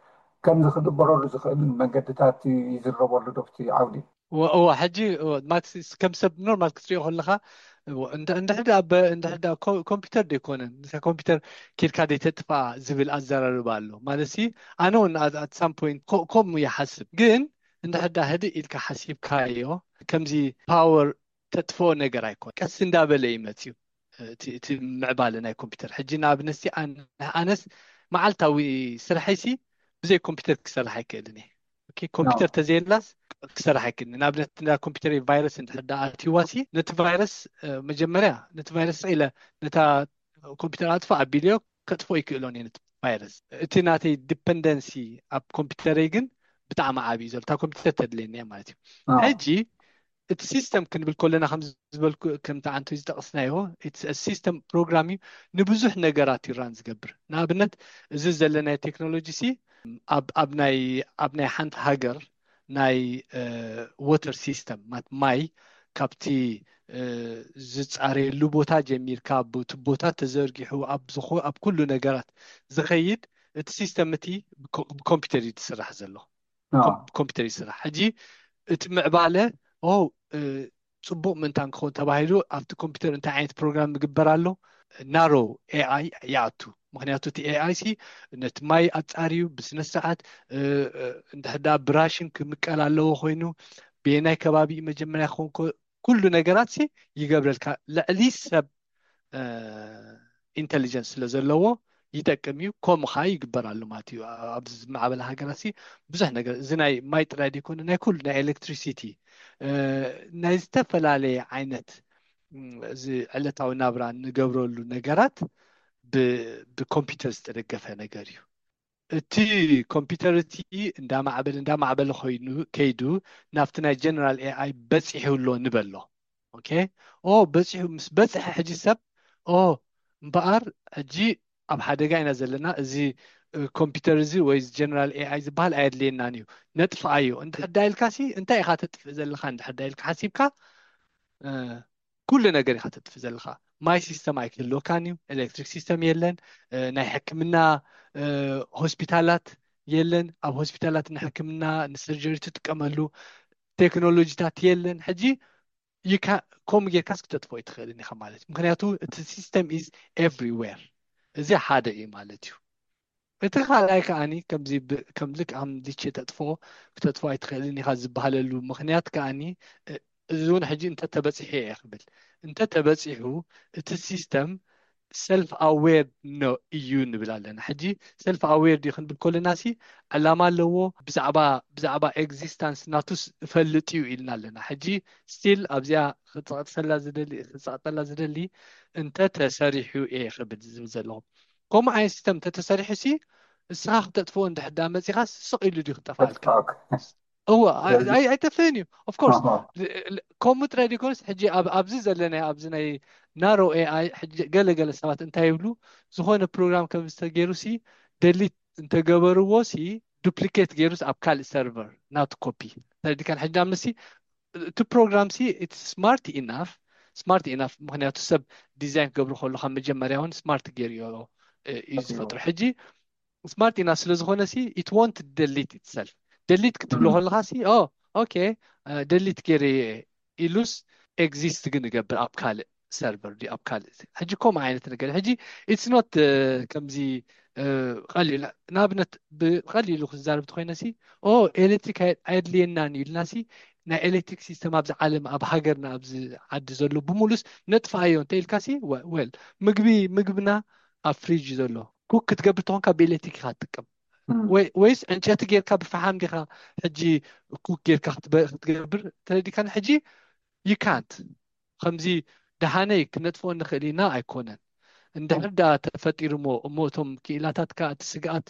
ከምዚ ክግበረሉ ዝኽእልን መንገድታት ይዝረበሉ ዶ ኣብቲ ዓውዲ? እወ እወ፣ ሕጂ እወ፣ ማለት ከም ሰብ ኖርማል ክትሪኦ ከለኻ እወ፣ እንድ- እንድሕር ደኣ በ- እንድሕር ደኣ ኮ- ኮምፒውተር ደይኮነን፣ ንሳ ኮምፒውተር ኬድካ ደይተጥፍኣ ዝብል ኣዘራርባ ኣሎ። ማለት ሲ ኣነ እውን ኣት ሳም ፖይንት ከምኡ ይሓስብ፣ ግን እንድሕር ደኣ ህድእ ኢልካ ሓሲብካዮ ከምዚ ፓወር ተጥፍኦ ነገር ኣይኮን፣ ቀስ እንዳበለ እዩ መፅዩ እቲ እቲ ምዕባለ ናይ ኮምፒውተር። ሕጂ ንኣብነት ሲ ኣን- ኣነስ መዓልታዊ ስርሐይ ሲ ብዘይ ኮምፒውተር ክሰርሕ ኣይክእልን እየ። ኦኬ፣ ኮምፒውተር ተዘየላስ ክሰርሕ ኣይክእልን። ንኣብነት እንዳ ኮምፒውተር ቫይረስ እንድሕር ደኣ ኣትይዋ ሲ ነቲ ቫይረስ እ፣ መጀመርያ ነቲ ቫይረስ ስቕ ኢለ ነታ ኮምፒውተር ኣጥፋ ኣቢልዮ ከጥፍኦ ይክእሎን እየ ነቲ ቫይረስ። እቲ ናተይ ዲፐንደንሲ ኣብ ኮምፒውተረይ ግን ብጣዕሚ ዓብዪ እዩ ዘሎ። እታ ኮምፒውተር ተድልየኒ እያ ማለት እዩ። ሕጂ እቲ ሲስተም ክንብል ከለና ከም ዝበልኩ ከምቲ ዓንቱ ዝጠቕስናዮ ሲስተም ፕሮግራም እዩ። ንብዙሕ ነገራት ይራን ዝገብር። ንኣብነት እዚ ዘለናዮ ቴክኖሎጂ ሲ ኣብ ኣብ ናይ ኣብ ናይ ሓንቲ ሃገር ናይ ወተር ሲስተም ማት ማይ ካብቲ ዝፃረየሉ ቦታ ጀሚርካ ብቱቦታት ተዘርጊሑ ኣብ ዝኮ ኣብ ኩሉ ነገራት ዝኸይድ እቲ ሲስተም እቲ ብኮምፒውተር እዩ ዝስራሕ ዘሎ። ኮምፒውተር ይስራሕ። ሕጂ እቲ ምዕባለ ኦ ጽቡቕ ምእንታን ክኸውን ተባሂሉ ኣብቲ ኮምፒውተር እንታይ ዓይነት ፕሮግራም ምግበር ኣሎ? ናሮ ኤኣይ ይኣቱ። ምክንያቱ እቲ ኤኣይ ሲ ነቲ ማይ ኣጻርዩ ብስነ ስርዓት እንድሕዳ ብራሽን ክምቀል ኣለዎ ኮይኑ ብየናይ ከባቢ መጀመርያ ክኸውን ኩሉ ነገራት ሲ ይገብረልካ። ልዕሊ ሰብ ኢንቴሊጀንስ ስለ ዘለዎ ይጠቅም እዩ። ከምኡ ከዓ ይግበር ኣሎ ማለት እዩ። ኣብዚ ዝማዕበለ ሃገራት ሲ ብዙሕ ነገር እዚ ናይ ማይ ጥራይ ዘይኮነ ናይ ኩሉ ናይ ኤሌክትሪሲቲ ናይ ዝተፈላለየ ዓይነት እዚ ዕለታዊ ናብራ እንገብረሉ ነገራት ብኮምፒውተር ዝተደገፈ ነገር እዩ። እቲ ኮምፒውተር እቲ እንዳማዕበለ እንዳማዕበለ ኮይኑ ከይዱ ናብቲ ናይ ጀነራል ኤኣይ በፂሑ ኣሎ ንበሎ። ኦኬ ኦ በፂሑ ምስ በፅሐ ሕጂ ሰብ ኦ እምበኣር ሕጂ ኣብ ሓደጋ ኢና ዘለና፣ እዚ ኮምፒውተር እዚ ወይ ጀነራል ኤኣይ ዝበሃል ኣየድልየናን እዩ፣ ነጥፍኣዮ እንድሕር ዳ ኢልካ ሲ እንታይ ኢኻ ተጥፍእ ዘለኻ እንድሕር ዳ ኢልካ ሓሲብካ ኩሉ ነገር ኢኻ ተጥፍእ ዘለኻ። ማይ ሲስተም ኣይክህልወካን እዩ፣ ኤሌክትሪክ ሲስተም የለን፣ ናይ ሕክምና ሆስፒታላት የለን፣ ኣብ ሆስፒታላት ንሕክምና ንሰርጀሪ ትጥቀመሉ ቴክኖሎጂታት የለን። ሕጂ ከምኡ ጌርካስ ክተጥፍኦ ኣይትኽእልን ኢኻ ማለት እዩ። ምክንያቱ እቲ ሲስተም ኢዝ ኤቭሪዌር። እዚ ሓደ እዩ ማለት እዩ። እቲ ካልኣይ ከዓኒ ከምዚ ከም ልክዓም ሊቼ ተጥፍኦ ክተጥፍኦ ኣይትኽእልን ኢኻ ዝበሃለሉ ምክንያት ከዓኒ እዚ እውን ሕጂ እንተተበፂሑ እየ ክብል እንተተበፂሑ እቲ ሲስተም ሰልፍ ኣዌር ኖ እዩ ንብል ኣለና። ሕጂ ሰልፍ ኣዌር ድዩ ክንብል ከለና ሲ ዕላማ ኣለዎ፣ ብዛዕባ ብዛዕባ ኤግዚስታንስ ናቱስ እፈልጥ እዩ ኢልና ኣለና። ሕጂ ስቲል ኣብዚኣ ክፀቕጠላ ዝደሊ ክፀቕጠላ ዝደሊ እንተ ተሰሪሑ እየ ክብል ዝብል ዘለኹ። ከምኡ ዓይነት ሲስተም እንተተሰሪሑ ሲ እስኻ ክተጥፍኦ እንድሕዳ መፂኻ ስቕ ኢሉ ድዩ ክጠፋልካ? እዋ ኣይጠፍእን እዩ። ኦፍኮርስ ከምኡ ጥራይ ዲኮንስ ሕጂ ኣብዚ ዘለናዮ ኣብዚ ናይ ናሮ ኤኣይ ገለገለ ሰባት እንታይ ይብሉ፣ ዝኾነ ፕሮግራም ከም ዝተገይሩ ሲ ደሊት እንተገበርዎ ሲ ዱፕሊኬት ገይሩስ ኣብ ካልእ ሰርቨር ናቱ ኮፒ ተረዲካን። ሕጂ ንኣብነት ሲ እቲ ፕሮግራም ሲ ስማርት ኢናፍ ስማርት ኢናፍ ምክንያቱ ሰብ ዲዛይን ክገብሩ ከሉ ካብ መጀመርያ እውን ስማርት ገይሩ እዩ ዝፈጥሩ። ሕጂ ስማርት ኢናፍ ስለ ዝኾነ ሲ it won't delete itself። ደሊት ክትብሎ ከለኻ ሲ ኦ ኦኬ ደሊት ገይረ ኢሉስ ኤግዚስት ግን ይገብር ኣብ ካልእ ሰርቨር ዲ ኣብ ካልእ ሕጂ ከምኡ ዓይነት ነገር ሕጂ it's not ከምዚ ቀሊል ንኣብነት ብቀሊሉ ክዛረብ ተኮይነ ሲ ኦ ኤሌክትሪክ ኣየድልየናን እዩ ኢልና ሲ ናይ ኤሌክትሪክ ሲስተም ኣብዚ ዓለም ኣብ ሃገርና ኣብዚ ዓዲ ዘሎ ብሙሉስ ነጥፋዮ እንተ ኢልካ ሲ ወል ምግቢ ምግብና ኣብ ፍሪጅ ዘሎ ኩክ ክትገብር ተኾንካ ብኤሌክትሪክ ኢካ ትጥቀም ወይስ ዕንጨቲ ጌርካ ብፈሓም ዲካ ሕጂ ኩክ ጌርካ ክትገብር ተረዲካን ሕጂ you can't ከምዚ ደሓነይ ክነጥፍኦ ንኽእል ኢና ኣይኮነን። እንድሕር ደኣ ተፈጢሩ እሞ እሞ እቶም ክኢላታት ከኣ እቲ ስግኣት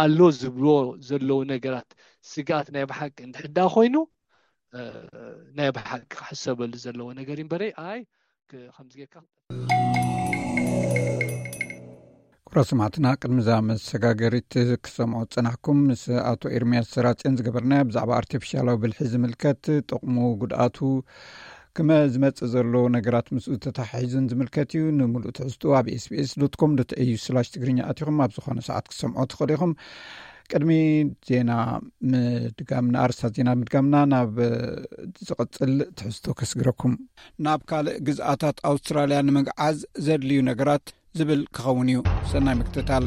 ኣሎ ዝብልዎ ዘለዉ ነገራት ስግኣት ናይ ብሓቂ እንድሕር ደኣ ኮይኑ ናይ ብሓቂ ክሕሰበሉ ዘለዎ ነገር እዩ እምበረይ ኣይ ከምዚ ጌርካ ክቡራት ሰማዕትና ቅድሚ እዛ መሰጋገሪት ክሰምዖ ዝጸናሕኩም ምስ ኣቶ ኤርምያስ ሰራጽዮን ዝገበርናዮ ብዛዕባ ኣርቲፊሻላዊ ብልሒ ዝምልከት ጥቕሙ ጉድኣቱ ክመ ዝመጽእ ዘሎ ነገራት ምስኡ ተተሓሒዙን ዝምልከት እዩ። ንምሉእ ትሕዝትኡ ኣብ ኤስቢኤስ ዶት ኮም ዶት ኤዩ ስላሽ ትግርኛ ኣቲኹም ኣብ ዝኾነ ሰዓት ክሰምዖ ትኽእሉ ኢኹም። ቅድሚ ዜና ምድጋምና ኣርስታት ዜና ምድጋምና ናብ ዝቕጽል ትሕዝቶ ከስግረኩም። ናብ ካልእ ግዝኣታት ኣውስትራልያ ንምግዓዝ ዘድልዩ ነገራት ዝብል ክኸውን እዩ። ሰናይ ምክትታል።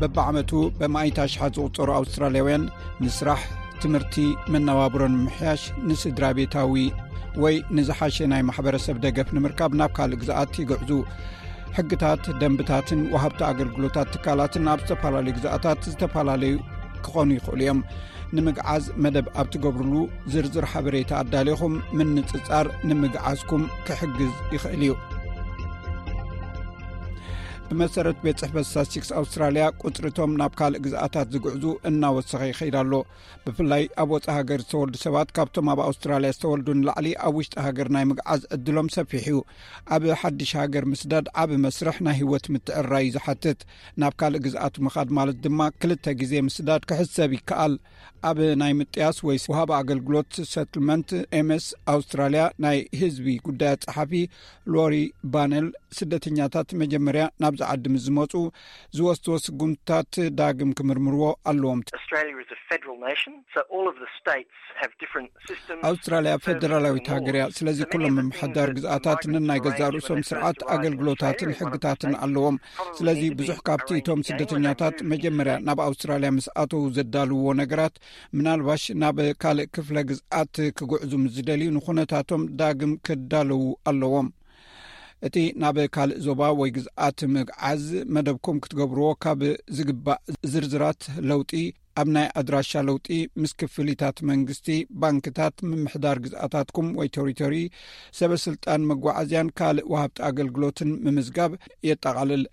በብዓመቱ በማእት ኣሽሓት ዝቑጸሩ ኣውስትራልያውያን ንስራሕ፣ ትምህርቲ፣ መነባብሮን ምሕያሽ፣ ንስድራ ቤታዊ ወይ ንዝሓሸ ናይ ማሕበረሰብ ደገፍ ንምርካብ ናብ ካልእ ግዝኣት ይግዕዙ። ሕግታት፣ ደንብታትን ወሃብቲ ኣገልግሎታት ትካላትን ኣብ ዝተፈላለዩ ግዝኣታት ዝተፈላለዩ ክኾኑ ይኽእሉ እዮም። ንምግዓዝ መደብ ኣብ ትገብርሉ ዝርዝር ሓበሬታ ኣዳሊኹም ምንጽጻር ንምግዓዝኩም ክሕግዝ ይኽእል እዩ። ብመሰረት ቤት ጽሕፈት ስታትስቲክስ ኣውስትራልያ፣ ቁጽሪ እቶም ናብ ካልእ ግዝኣታት ዝግዕዙ እናወሰኸ ይኸይድ ኣሎ። ብፍላይ ኣብ ወጻኢ ሃገር ዝተወልዱ ሰባት ካብቶም ኣብ ኣውስትራልያ ዝተወልዱ ንላዕሊ ኣብ ውሽጢ ሃገር ናይ ምግዓዝ ዕድሎም ሰፊሕ እዩ። ኣብ ሓድሽ ሃገር ምስዳድ ዓቢ መስርሕ ናይ ህይወት ምትዕርራይ እዩ ዝሓትት። ናብ ካልእ ግዝኣት ምኻድ ማለት ድማ ክልተ ግዜ ምስዳድ ክሕሰብ ይከኣል። ኣብ ናይ ምጥያስ ወይ ወሃቢ ኣገልግሎት ሰትልመንት ኤምኤስ ኣውስትራልያ ናይ ህዝቢ ጉዳያት ጸሓፊ ሎሪ ባነል፣ ስደተኛታት መጀመርያ ናብዚ ዓዲ ምስ ዝመጹ ዝወስድዎ ስጉምትታት ዳግም ክምርምርዎ ኣለዎም። Australia is a federal nation, so all of the states have different systems. ኣውስትራልያ ፈደራላዊት ሃገር እያ። ስለዚ ኩሎም ምምሕዳር ግዝኣታት ነናይ ገዛእ ርእሶም ስርዓት ኣገልግሎታትን ሕግታትን ኣለዎም። ስለዚ ብዙሕ ካብቲ እቶም ስደተኛታት መጀመርያ ናብ ኣውስትራልያ ምስ ኣተዉ ዘዳልውዎ ነገራት፣ ምናልባሽ ናብ ካልእ ክፍለ ግዝኣት ክጉዕዙ ምስ ዝደልዩ ንኹነታቶም ዳግም ክዳለዉ ኣለዎም። እቲ ናብ ካልእ ዞባ ወይ ግዝኣት ምግዓዝ መደብኩም ክትገብርዎ ካብ ዝግባእ ዝርዝራት ለውጢ፣ ኣብ ናይ ኣድራሻ ለውጢ፣ ምስ ክፍሊታት መንግስቲ፣ ባንክታት፣ ምምሕዳር ግዝኣታትኩም ወይ ቴሪቶሪ፣ ሰበ ስልጣን መጓዓዝያን ካልእ ወሃብቲ ኣገልግሎትን ምምዝጋብ የጠቓልል።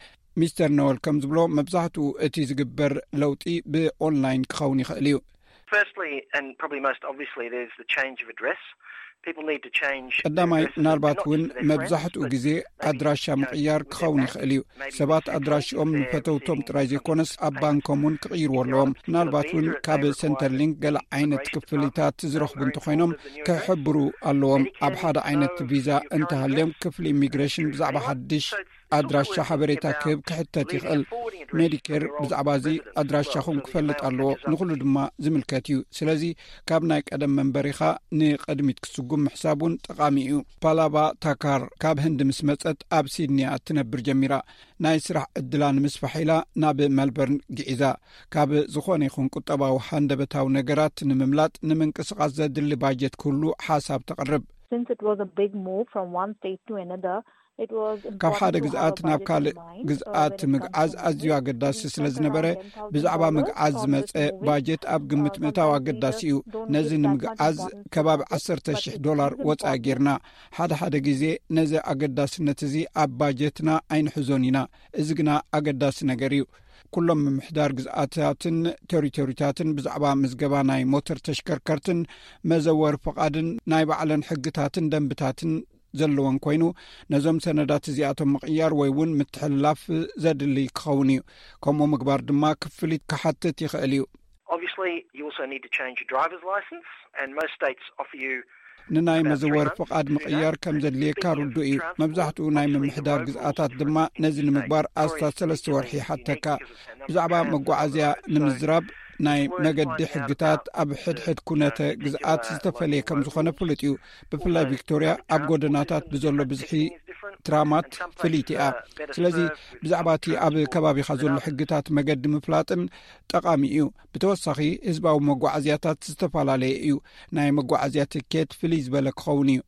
ሚስተር ኖወል ከም ዝብሎ፣ መብዛሕትኡ እቲ ዝግበር ለውጢ ብኦንላይን ክኸውን ይኽእል እዩ። Firstly, and probably most obviously, there's the change of address. People need to change their ቀዳማይ፣ addresses, ምናልባት not እውን just for their friends, መብዛሕትኡ but ግዜ maybe, ኣድራሻ you know, ምቕያር with their ክኸውን bank, ይኽእል እዩ። maybe ሰባት their address ኣድራሽኦም if they're ንፈተውቶም visiting ጥራይ some ዘይኮነስ፣ interest ኣብ bank. ባንኮም እውን ክቕይርዎ ኣለዎም። ምናልባት እውን ካብ Centrelink ገለ ዓይነት ክፍሊታት ዝረኽቡ እንተኾይኖም፣ ክሕብሩ ኣለዎም። ኣብ ሓደ ዓይነት ቪዛ እንተሃልዮም፣ ክፍሊ ኢሚግሬሽን ብዛዕባ ሓድሽ ኣድራሻ ሓበሬታ ክህብ ክሕተት ይኽእል። ሜዲኬር ብዛዕባ እዚ ኣድራሻኹም ክፈልጥ ኣለዎ። ንኹሉ ድማ ዝምልከት እዩ። ስለዚ፣ ካብ ናይ ቀደም መንበሪኻ ንቕድሚት ክትስጉም ምሕሳብ እውን ጠቓሚ እዩ። ፓላቫ ታካር ካብ ህንዲ ምስ መጸት፣ ኣብ ሲድኒ እያ እትነብር ጀሚራ። ናይ ስራሕ ዕድላ ንምስፋሕ ኢላ ናብ መልበርን ግዒዛ። ካብ ዝኾነ ይኹን ቁጠባዊ ሃንደበታዊ ነገራት ንምምላጥ፣ ንምንቅስቓስ ዘድሊ ባጀት ክህሉ ሓሳብ ተቕርብ። Since it was a big move from one state to another, it was ካብ ሓደ ግዝኣት ናብ ካልእ ግዝኣት ምግዓዝ ኣዝዩ ኣገዳሲ ስለ ዝነበረ፣ ብዛዕባ ምግዓዝ ዝመጸ ባጀት ኣብ ግምት ምእታው ኣገዳሲ እዩ። ነዚ ንምግዓዝ ከባቢ ዓሰርተ ሺሕ ዶላር ወጻኢ ጌርና። ሓደ ሓደ ግዜ ነዚ ኣገዳስነት እዚ ኣብ ባጀትና ኣይንሕዞን ኢና። እዚ ግና ኣገዳሲ ነገር እዩ። ኩሎም ምምሕዳር ግዝኣታትን ቴሪቶሪታትን ብዛዕባ ምዝገባ ናይ ሞተር ተሽከርከርትን መዘወር ፍቓድን ናይ ባዕለን ሕግታትን ደንብታትን ዘለወን ኮይኑ፣ ነዞም ሰነዳት እዚኣቶም ምቕያር ወይ እውን ምትሕልላፍ ዘድሊ ክኸውን እዩ። ከምኡ ምግባር ድማ ክፍሊት ክሓትት ይኽእል እዩ። Obviously, you also need to change your driver's license, and most states offer you ንናይ መዘወር ፍቓድ ምቕያር ከም ዘድልየካ ርዱእ እዩ። መብዛሕትኡ ናይ ምምሕዳር ግዝኣታት ድማ ነዚ ንምግባር ኣስታት ሰለስተ ወርሒ ይሓተካ። ብዛዕባ መጓዓዝያ ንምዝራብ፣ ናይ መገዲ ሕግታት ኣብ ሕድሕድ ኩነተ ግዝኣት ዝተፈለየ ከም ዝኾነ ፍሉጥ እዩ። ብፍላይ ቪክቶርያ ኣብ ጎደናታት ብዘሎ ብዝሒ ትራማት ፍልይቲ እያ። ስለዚ ብዛዕባ እቲ ኣብ ከባቢኻ ዘሎ ሕግታት መገዲ ምፍላጥን ጠቓሚ እዩ። ብተወሳኺ፣ ህዝባዊ መጓዓዝያታት ዝተፈላለየ እዩ። ናይ መጓዓዝያ ትኬት ፍልይ ዝበለ ክኸውን እዩ።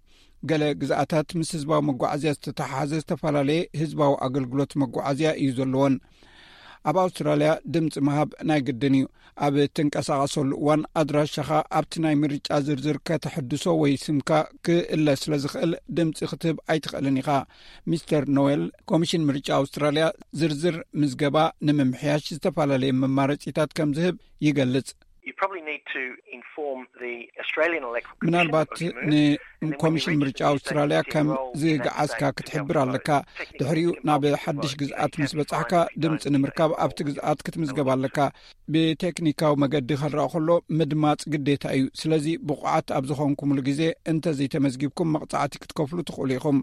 ገለ ግዝኣታት ምስ ህዝባዊ መጓዓዝያ ዝተተሓሓዘ ዝተፈላለየ ህዝባዊ ኣገልግሎት መጓዓዝያ እዩ ዘለዎን። ኣብ ኣውስትራልያ ድምፂ ምሃብ ናይ ግድን እዩ። ኣብ እትንቀሳቐሰሉ እዋን፣ ኣድራሻኻ ኣብቲ ናይ ምርጫ ዝርዝር ከተሕድሶ ወይ ስምካ ክእለ ስለ ዝኽእል፣ ድምፂ ክትህብ ኣይትኽእልን ኢኻ። ሚስተር ኖዌል፣ ኮሚሽን ምርጫ ኣውስትራልያ ዝርዝር ምዝገባ ንምምሕያሽ ዝተፈላለየ መማረፂታት ከም ዝህብ ይገልጽ። You probably need to inform the Australian Electoral Commission ምናልባት of your move, and then when you ንኮሚሽን ምርጫ register, you say, ኣውስትራልያ ከም ዝገዓዝካ ክትሕብር ኣለካ። ድሕሪኡ ናብ ሓድሽ ግዝኣት ምስ በጻሕካ፣ ድምጺ ንምርካብ ኣብቲ ግዝኣት ክትምዝገብ ኣለካ። ብቴክኒካዊ መገዲ ክረኣ ከሎ፣ ምድማጽ ግዴታ እዩ። ስለዚ፣ ብቑዓት ኣብ ዝኾንኩምሉ ግዜ እንተዘይተመዝጊብኩም፣ መቕጻዕቲ ክትከፍሉ ትኽእሉ ኢኹም።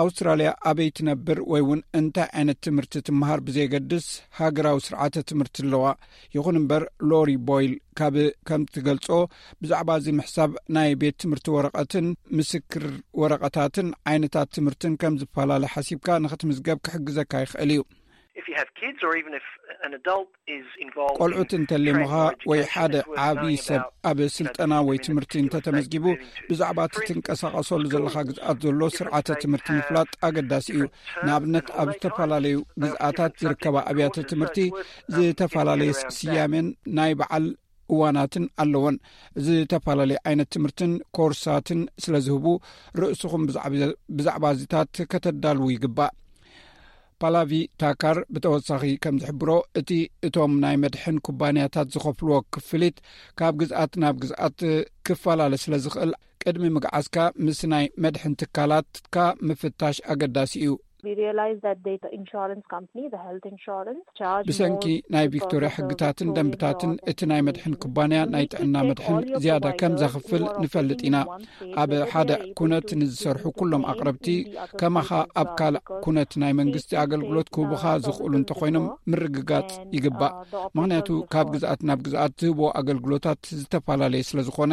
ኣውስትራልያ ኣበይ ትነብር ወይ እውን እንታይ ዓይነት ትምህርቲ ትመሃር ብዘየገድስ፣ ሃገራዊ ስርዓተ ትምህርቲ ኣለዋ። ይኹን እምበር፣ ሎሪ ቦይል ካብ ከም ትገልጾ፣ ብዛዕባ እዚ ምሕሳብ ናይ ቤት ትምህርቲ ወረቐትን ምስክር ወረቐታትን ዓይነታት ትምህርትን ከም ዝፈላለ ሓሲብካ ንኽትምዝገብ ክሕግዘካ ይኽእል እዩ። If you have kids, or even if an adult is involved in ቆልዑት እንተሊሙኻ ወይ ሓደ ዓቢ ሰብ ኣብ ስልጠና ወይ ትምህርቲ እንተተመዝጊቡ፣ ብዛዕባ እቲ ትንቀሳቐሰሉ ዘለኻ ግዝኣት ዘሎ ስርዓተ ትምህርቲ ምፍላጥ ኣገዳሲ እዩ። ንኣብነት፣ ኣብ ዝተፈላለዩ ግዝኣታት ዝርከባ ኣብያተ ትምህርቲ ዝተፈላለየ ስያሜን ናይ በዓል እዋናትን ኣለወን። ዝተፈላለየ ዓይነት ትምህርትን ኮርሳትን ስለ ዝህቡ፣ ርእስኹም ብዛዕባ፣ ብዛዕባ እዚታት ከተዳልዉ ይግባእ። ፓላቪ ታካር ብተወሳኺ ከም ዝሕብሮ፣ እቲ እቶም ናይ መድሕን ኩባንያታት ዝኸፍልዎ ክፍሊት ካብ ግዝኣት ናብ ግዝኣት ክፈላለ ስለ ዝኽእል፣ ቅድሚ ምግዓዝካ ምስ ናይ መድሕን ትካላትካ ምፍታሽ ኣገዳሲ እዩ። We realize that the insurance company, the health insurance, charge ብሰንኪ ናይ ቪክቶርያ ሕግታትን ደንብታትን፣ እቲ ናይ መድሕን ኩባንያ ናይ ጥዕና መድሕን ዝያዳ ከም ዘኽፍል ንፈልጥ ኢና። ኣብ ሓደ ኩነት ንዝሰርሑ ኩሎም ኣቕረብቲ፣ ከማኻ ኣብ ካልእ ኩነት ናይ መንግስቲ ኣገልግሎት ክህቡኻ ዝኽእሉ እንተኾይኖም ምርግጋጽ ይግባእ። ምኽንያቱ ካብ ግዝኣት ናብ ግዝኣት ዝህብዎ ኣገልግሎታት ዝተፈላለየ ስለ ዝኾነ፣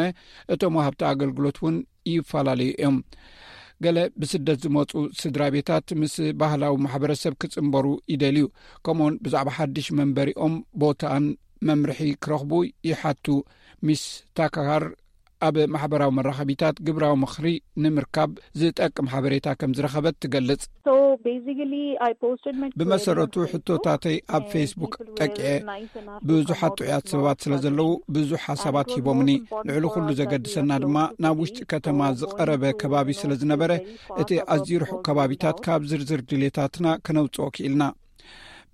እቶም ወሃብቲ ኣገልግሎት እውን ይፈላለዩ እዮም። ገለ ብስደት ዝመጹ ስድራ ቤታት ምስ ባህላዊ ማሕበረሰብ ክጽንበሩ ይደልዩ። ከምኡውን ብዛዕባ ሓድሽ መንበሪኦም ቦታን መምርሒ ክረኽቡ ይሓቱ። ሚስ ታካር ኣብ ማሕበራዊ መራኸቢታት ግብራዊ ምኽሪ ንምርካብ ዝጠቅም ሓበሬታ ከም ዝረኸበት ትገልጽ። ብመሰረቱ ሕቶታተይ ኣብ ፌስቡክ ጠቂዐ። ብዙሓት ጥዑያት ሰባት ስለ ዘለዉ ብዙሕ ሓሳባት ሂቦምኒ። ልዕሊ ኩሉ ዘገድሰና ድማ ናብ ውሽጢ ከተማ ዝቐረበ ከባቢ ስለ ዝነበረ፣ እቲ ኣዝዩ ርሑቕ ከባቢታት ካብ ዝርዝር ድሌታትና ክነውጽኦ ክኢልና።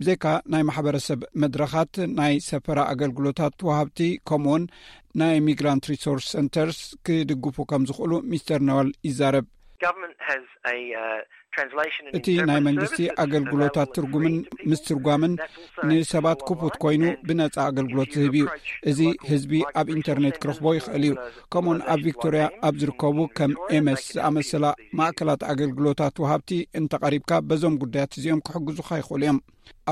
ብዘይካ ናይ ማሕበረሰብ መድረኻት፣ ናይ ሰፈራ ኣገልግሎታት ወሃብቲ ከምኡውን ናይ ሚግራንት ሪሶርስ ሰንተርስ ክድግፉ ከም ዝኽእሉ ሚስተር ነዋል ይዛረብ። እቲ ናይ መንግስቲ ኣገልግሎታት ትርጉምን ምስትርጓምን ንሰባት ክፉት ኮይኑ ብነጻ ኣገልግሎት ዝህብ እዩ። እዚ ህዝቢ ኣብ ኢንተርኔት ክረኽቦ ይኽእል እዩ። ከምኡውን ኣብ ቪክቶርያ ኣብ ዝርከቡ ከም ኤምኤስ ዝኣመሰላ ማእከላት ኣገልግሎታት ወሃብቲ እንተቐሪብካ፣ በዞም ጉዳያት እዚኦም ክሕግዙኻ ይኽእሉ እዮም።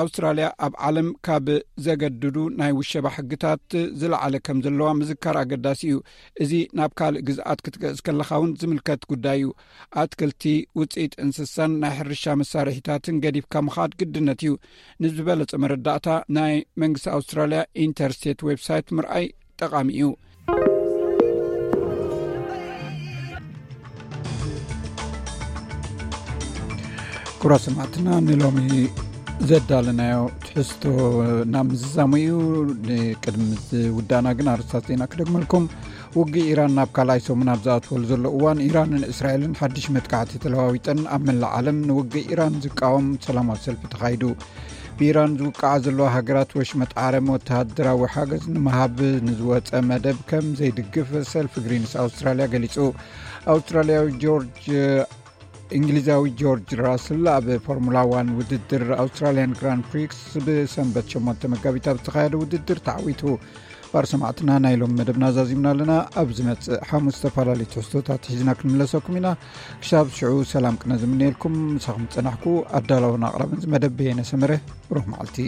ኣውስትራልያ ኣብ ዓለም ካብ ዘገድዱ ናይ ውሸባ ሕግታት ዝለዓለ ከም ዘለዋ ምዝካር ኣገዳሲ እዩ። እዚ ናብ ካልእ ግዝኣት ክትገእዝ ከለኻ እውን ዝምልከት ጉዳይ እዩ። ኣትክልቲ፣ ውጽኢት እንስሳን ናይ ሕርሻ መሳርሒታትን ገዲፍካ ምኻድ ግድነት እዩ። ንዝበለጸ መረዳእታ ናይ መንግስቲ ኣውስትራልያ ኢንተርስቴት ዌብሳይት ምርኣይ ጠቓሚ እዩ። ክቡራት ሰማዕትና፣ ንሎሚ ዘዳለናዮ ትሕዝቶ ናብ ምዝዛሙ እዩ። ንቅድሚ ዝውዳእና ግን ኣርእስታት ዜና ክደግመልኩም። ውግእ ኢራን ናብ ካልኣይ ሰሙን ኣብ ዝኣትወሉ ዘሎ እዋን፣ ኢራንን እስራኤልን ሓድሽ መጥቃዕቲ ተለዋዊጠን ኣብ መላእ ዓለም ንውግእ ኢራን ዝቃወም ሰላማዊ ሰልፊ ተኻይዱ። ብኢራን ዝውቃዓ ዘለዋ ሃገራት ወሽመጥ ዓረም ወተሃደራዊ ሓገዝ ንምሃብ ንዝወጸ መደብ ከም ዘይድግፍ ሰልፊ ግሪንስ ኣውስትራልያ ገሊጹ። ኣውስትራልያዊ ጆርጅ እንግሊዛዊ ጆርጅ ራስል ኣብ ፎርሙላ ዋን ውድድር ኣውስትራልያን ግራንድ ፕሪክስ ብሰንበት ሸሞንተ መጋቢት ኣብ ዝተኻየደ ውድድር ተዓዊቱ። ባር ሰማዕትና፣ ናይ ሎም መደብና ዛዚምና ኣለና። ኣብ ዝመጽእ ሓሙስ ዝተፈላለዩ ትሕዝቶታት ሒዝና ክንምለሰኩም ኢና። ክሳብ ሽዑ ሰላም ቅነ ዝምነየልኩም፣ ምሳኹም ዝጸናሕኩ ኣዳላውን ኣቕራብን ዝመደብ በየነ ሰመረ። ብሩኽ መዓልቲ።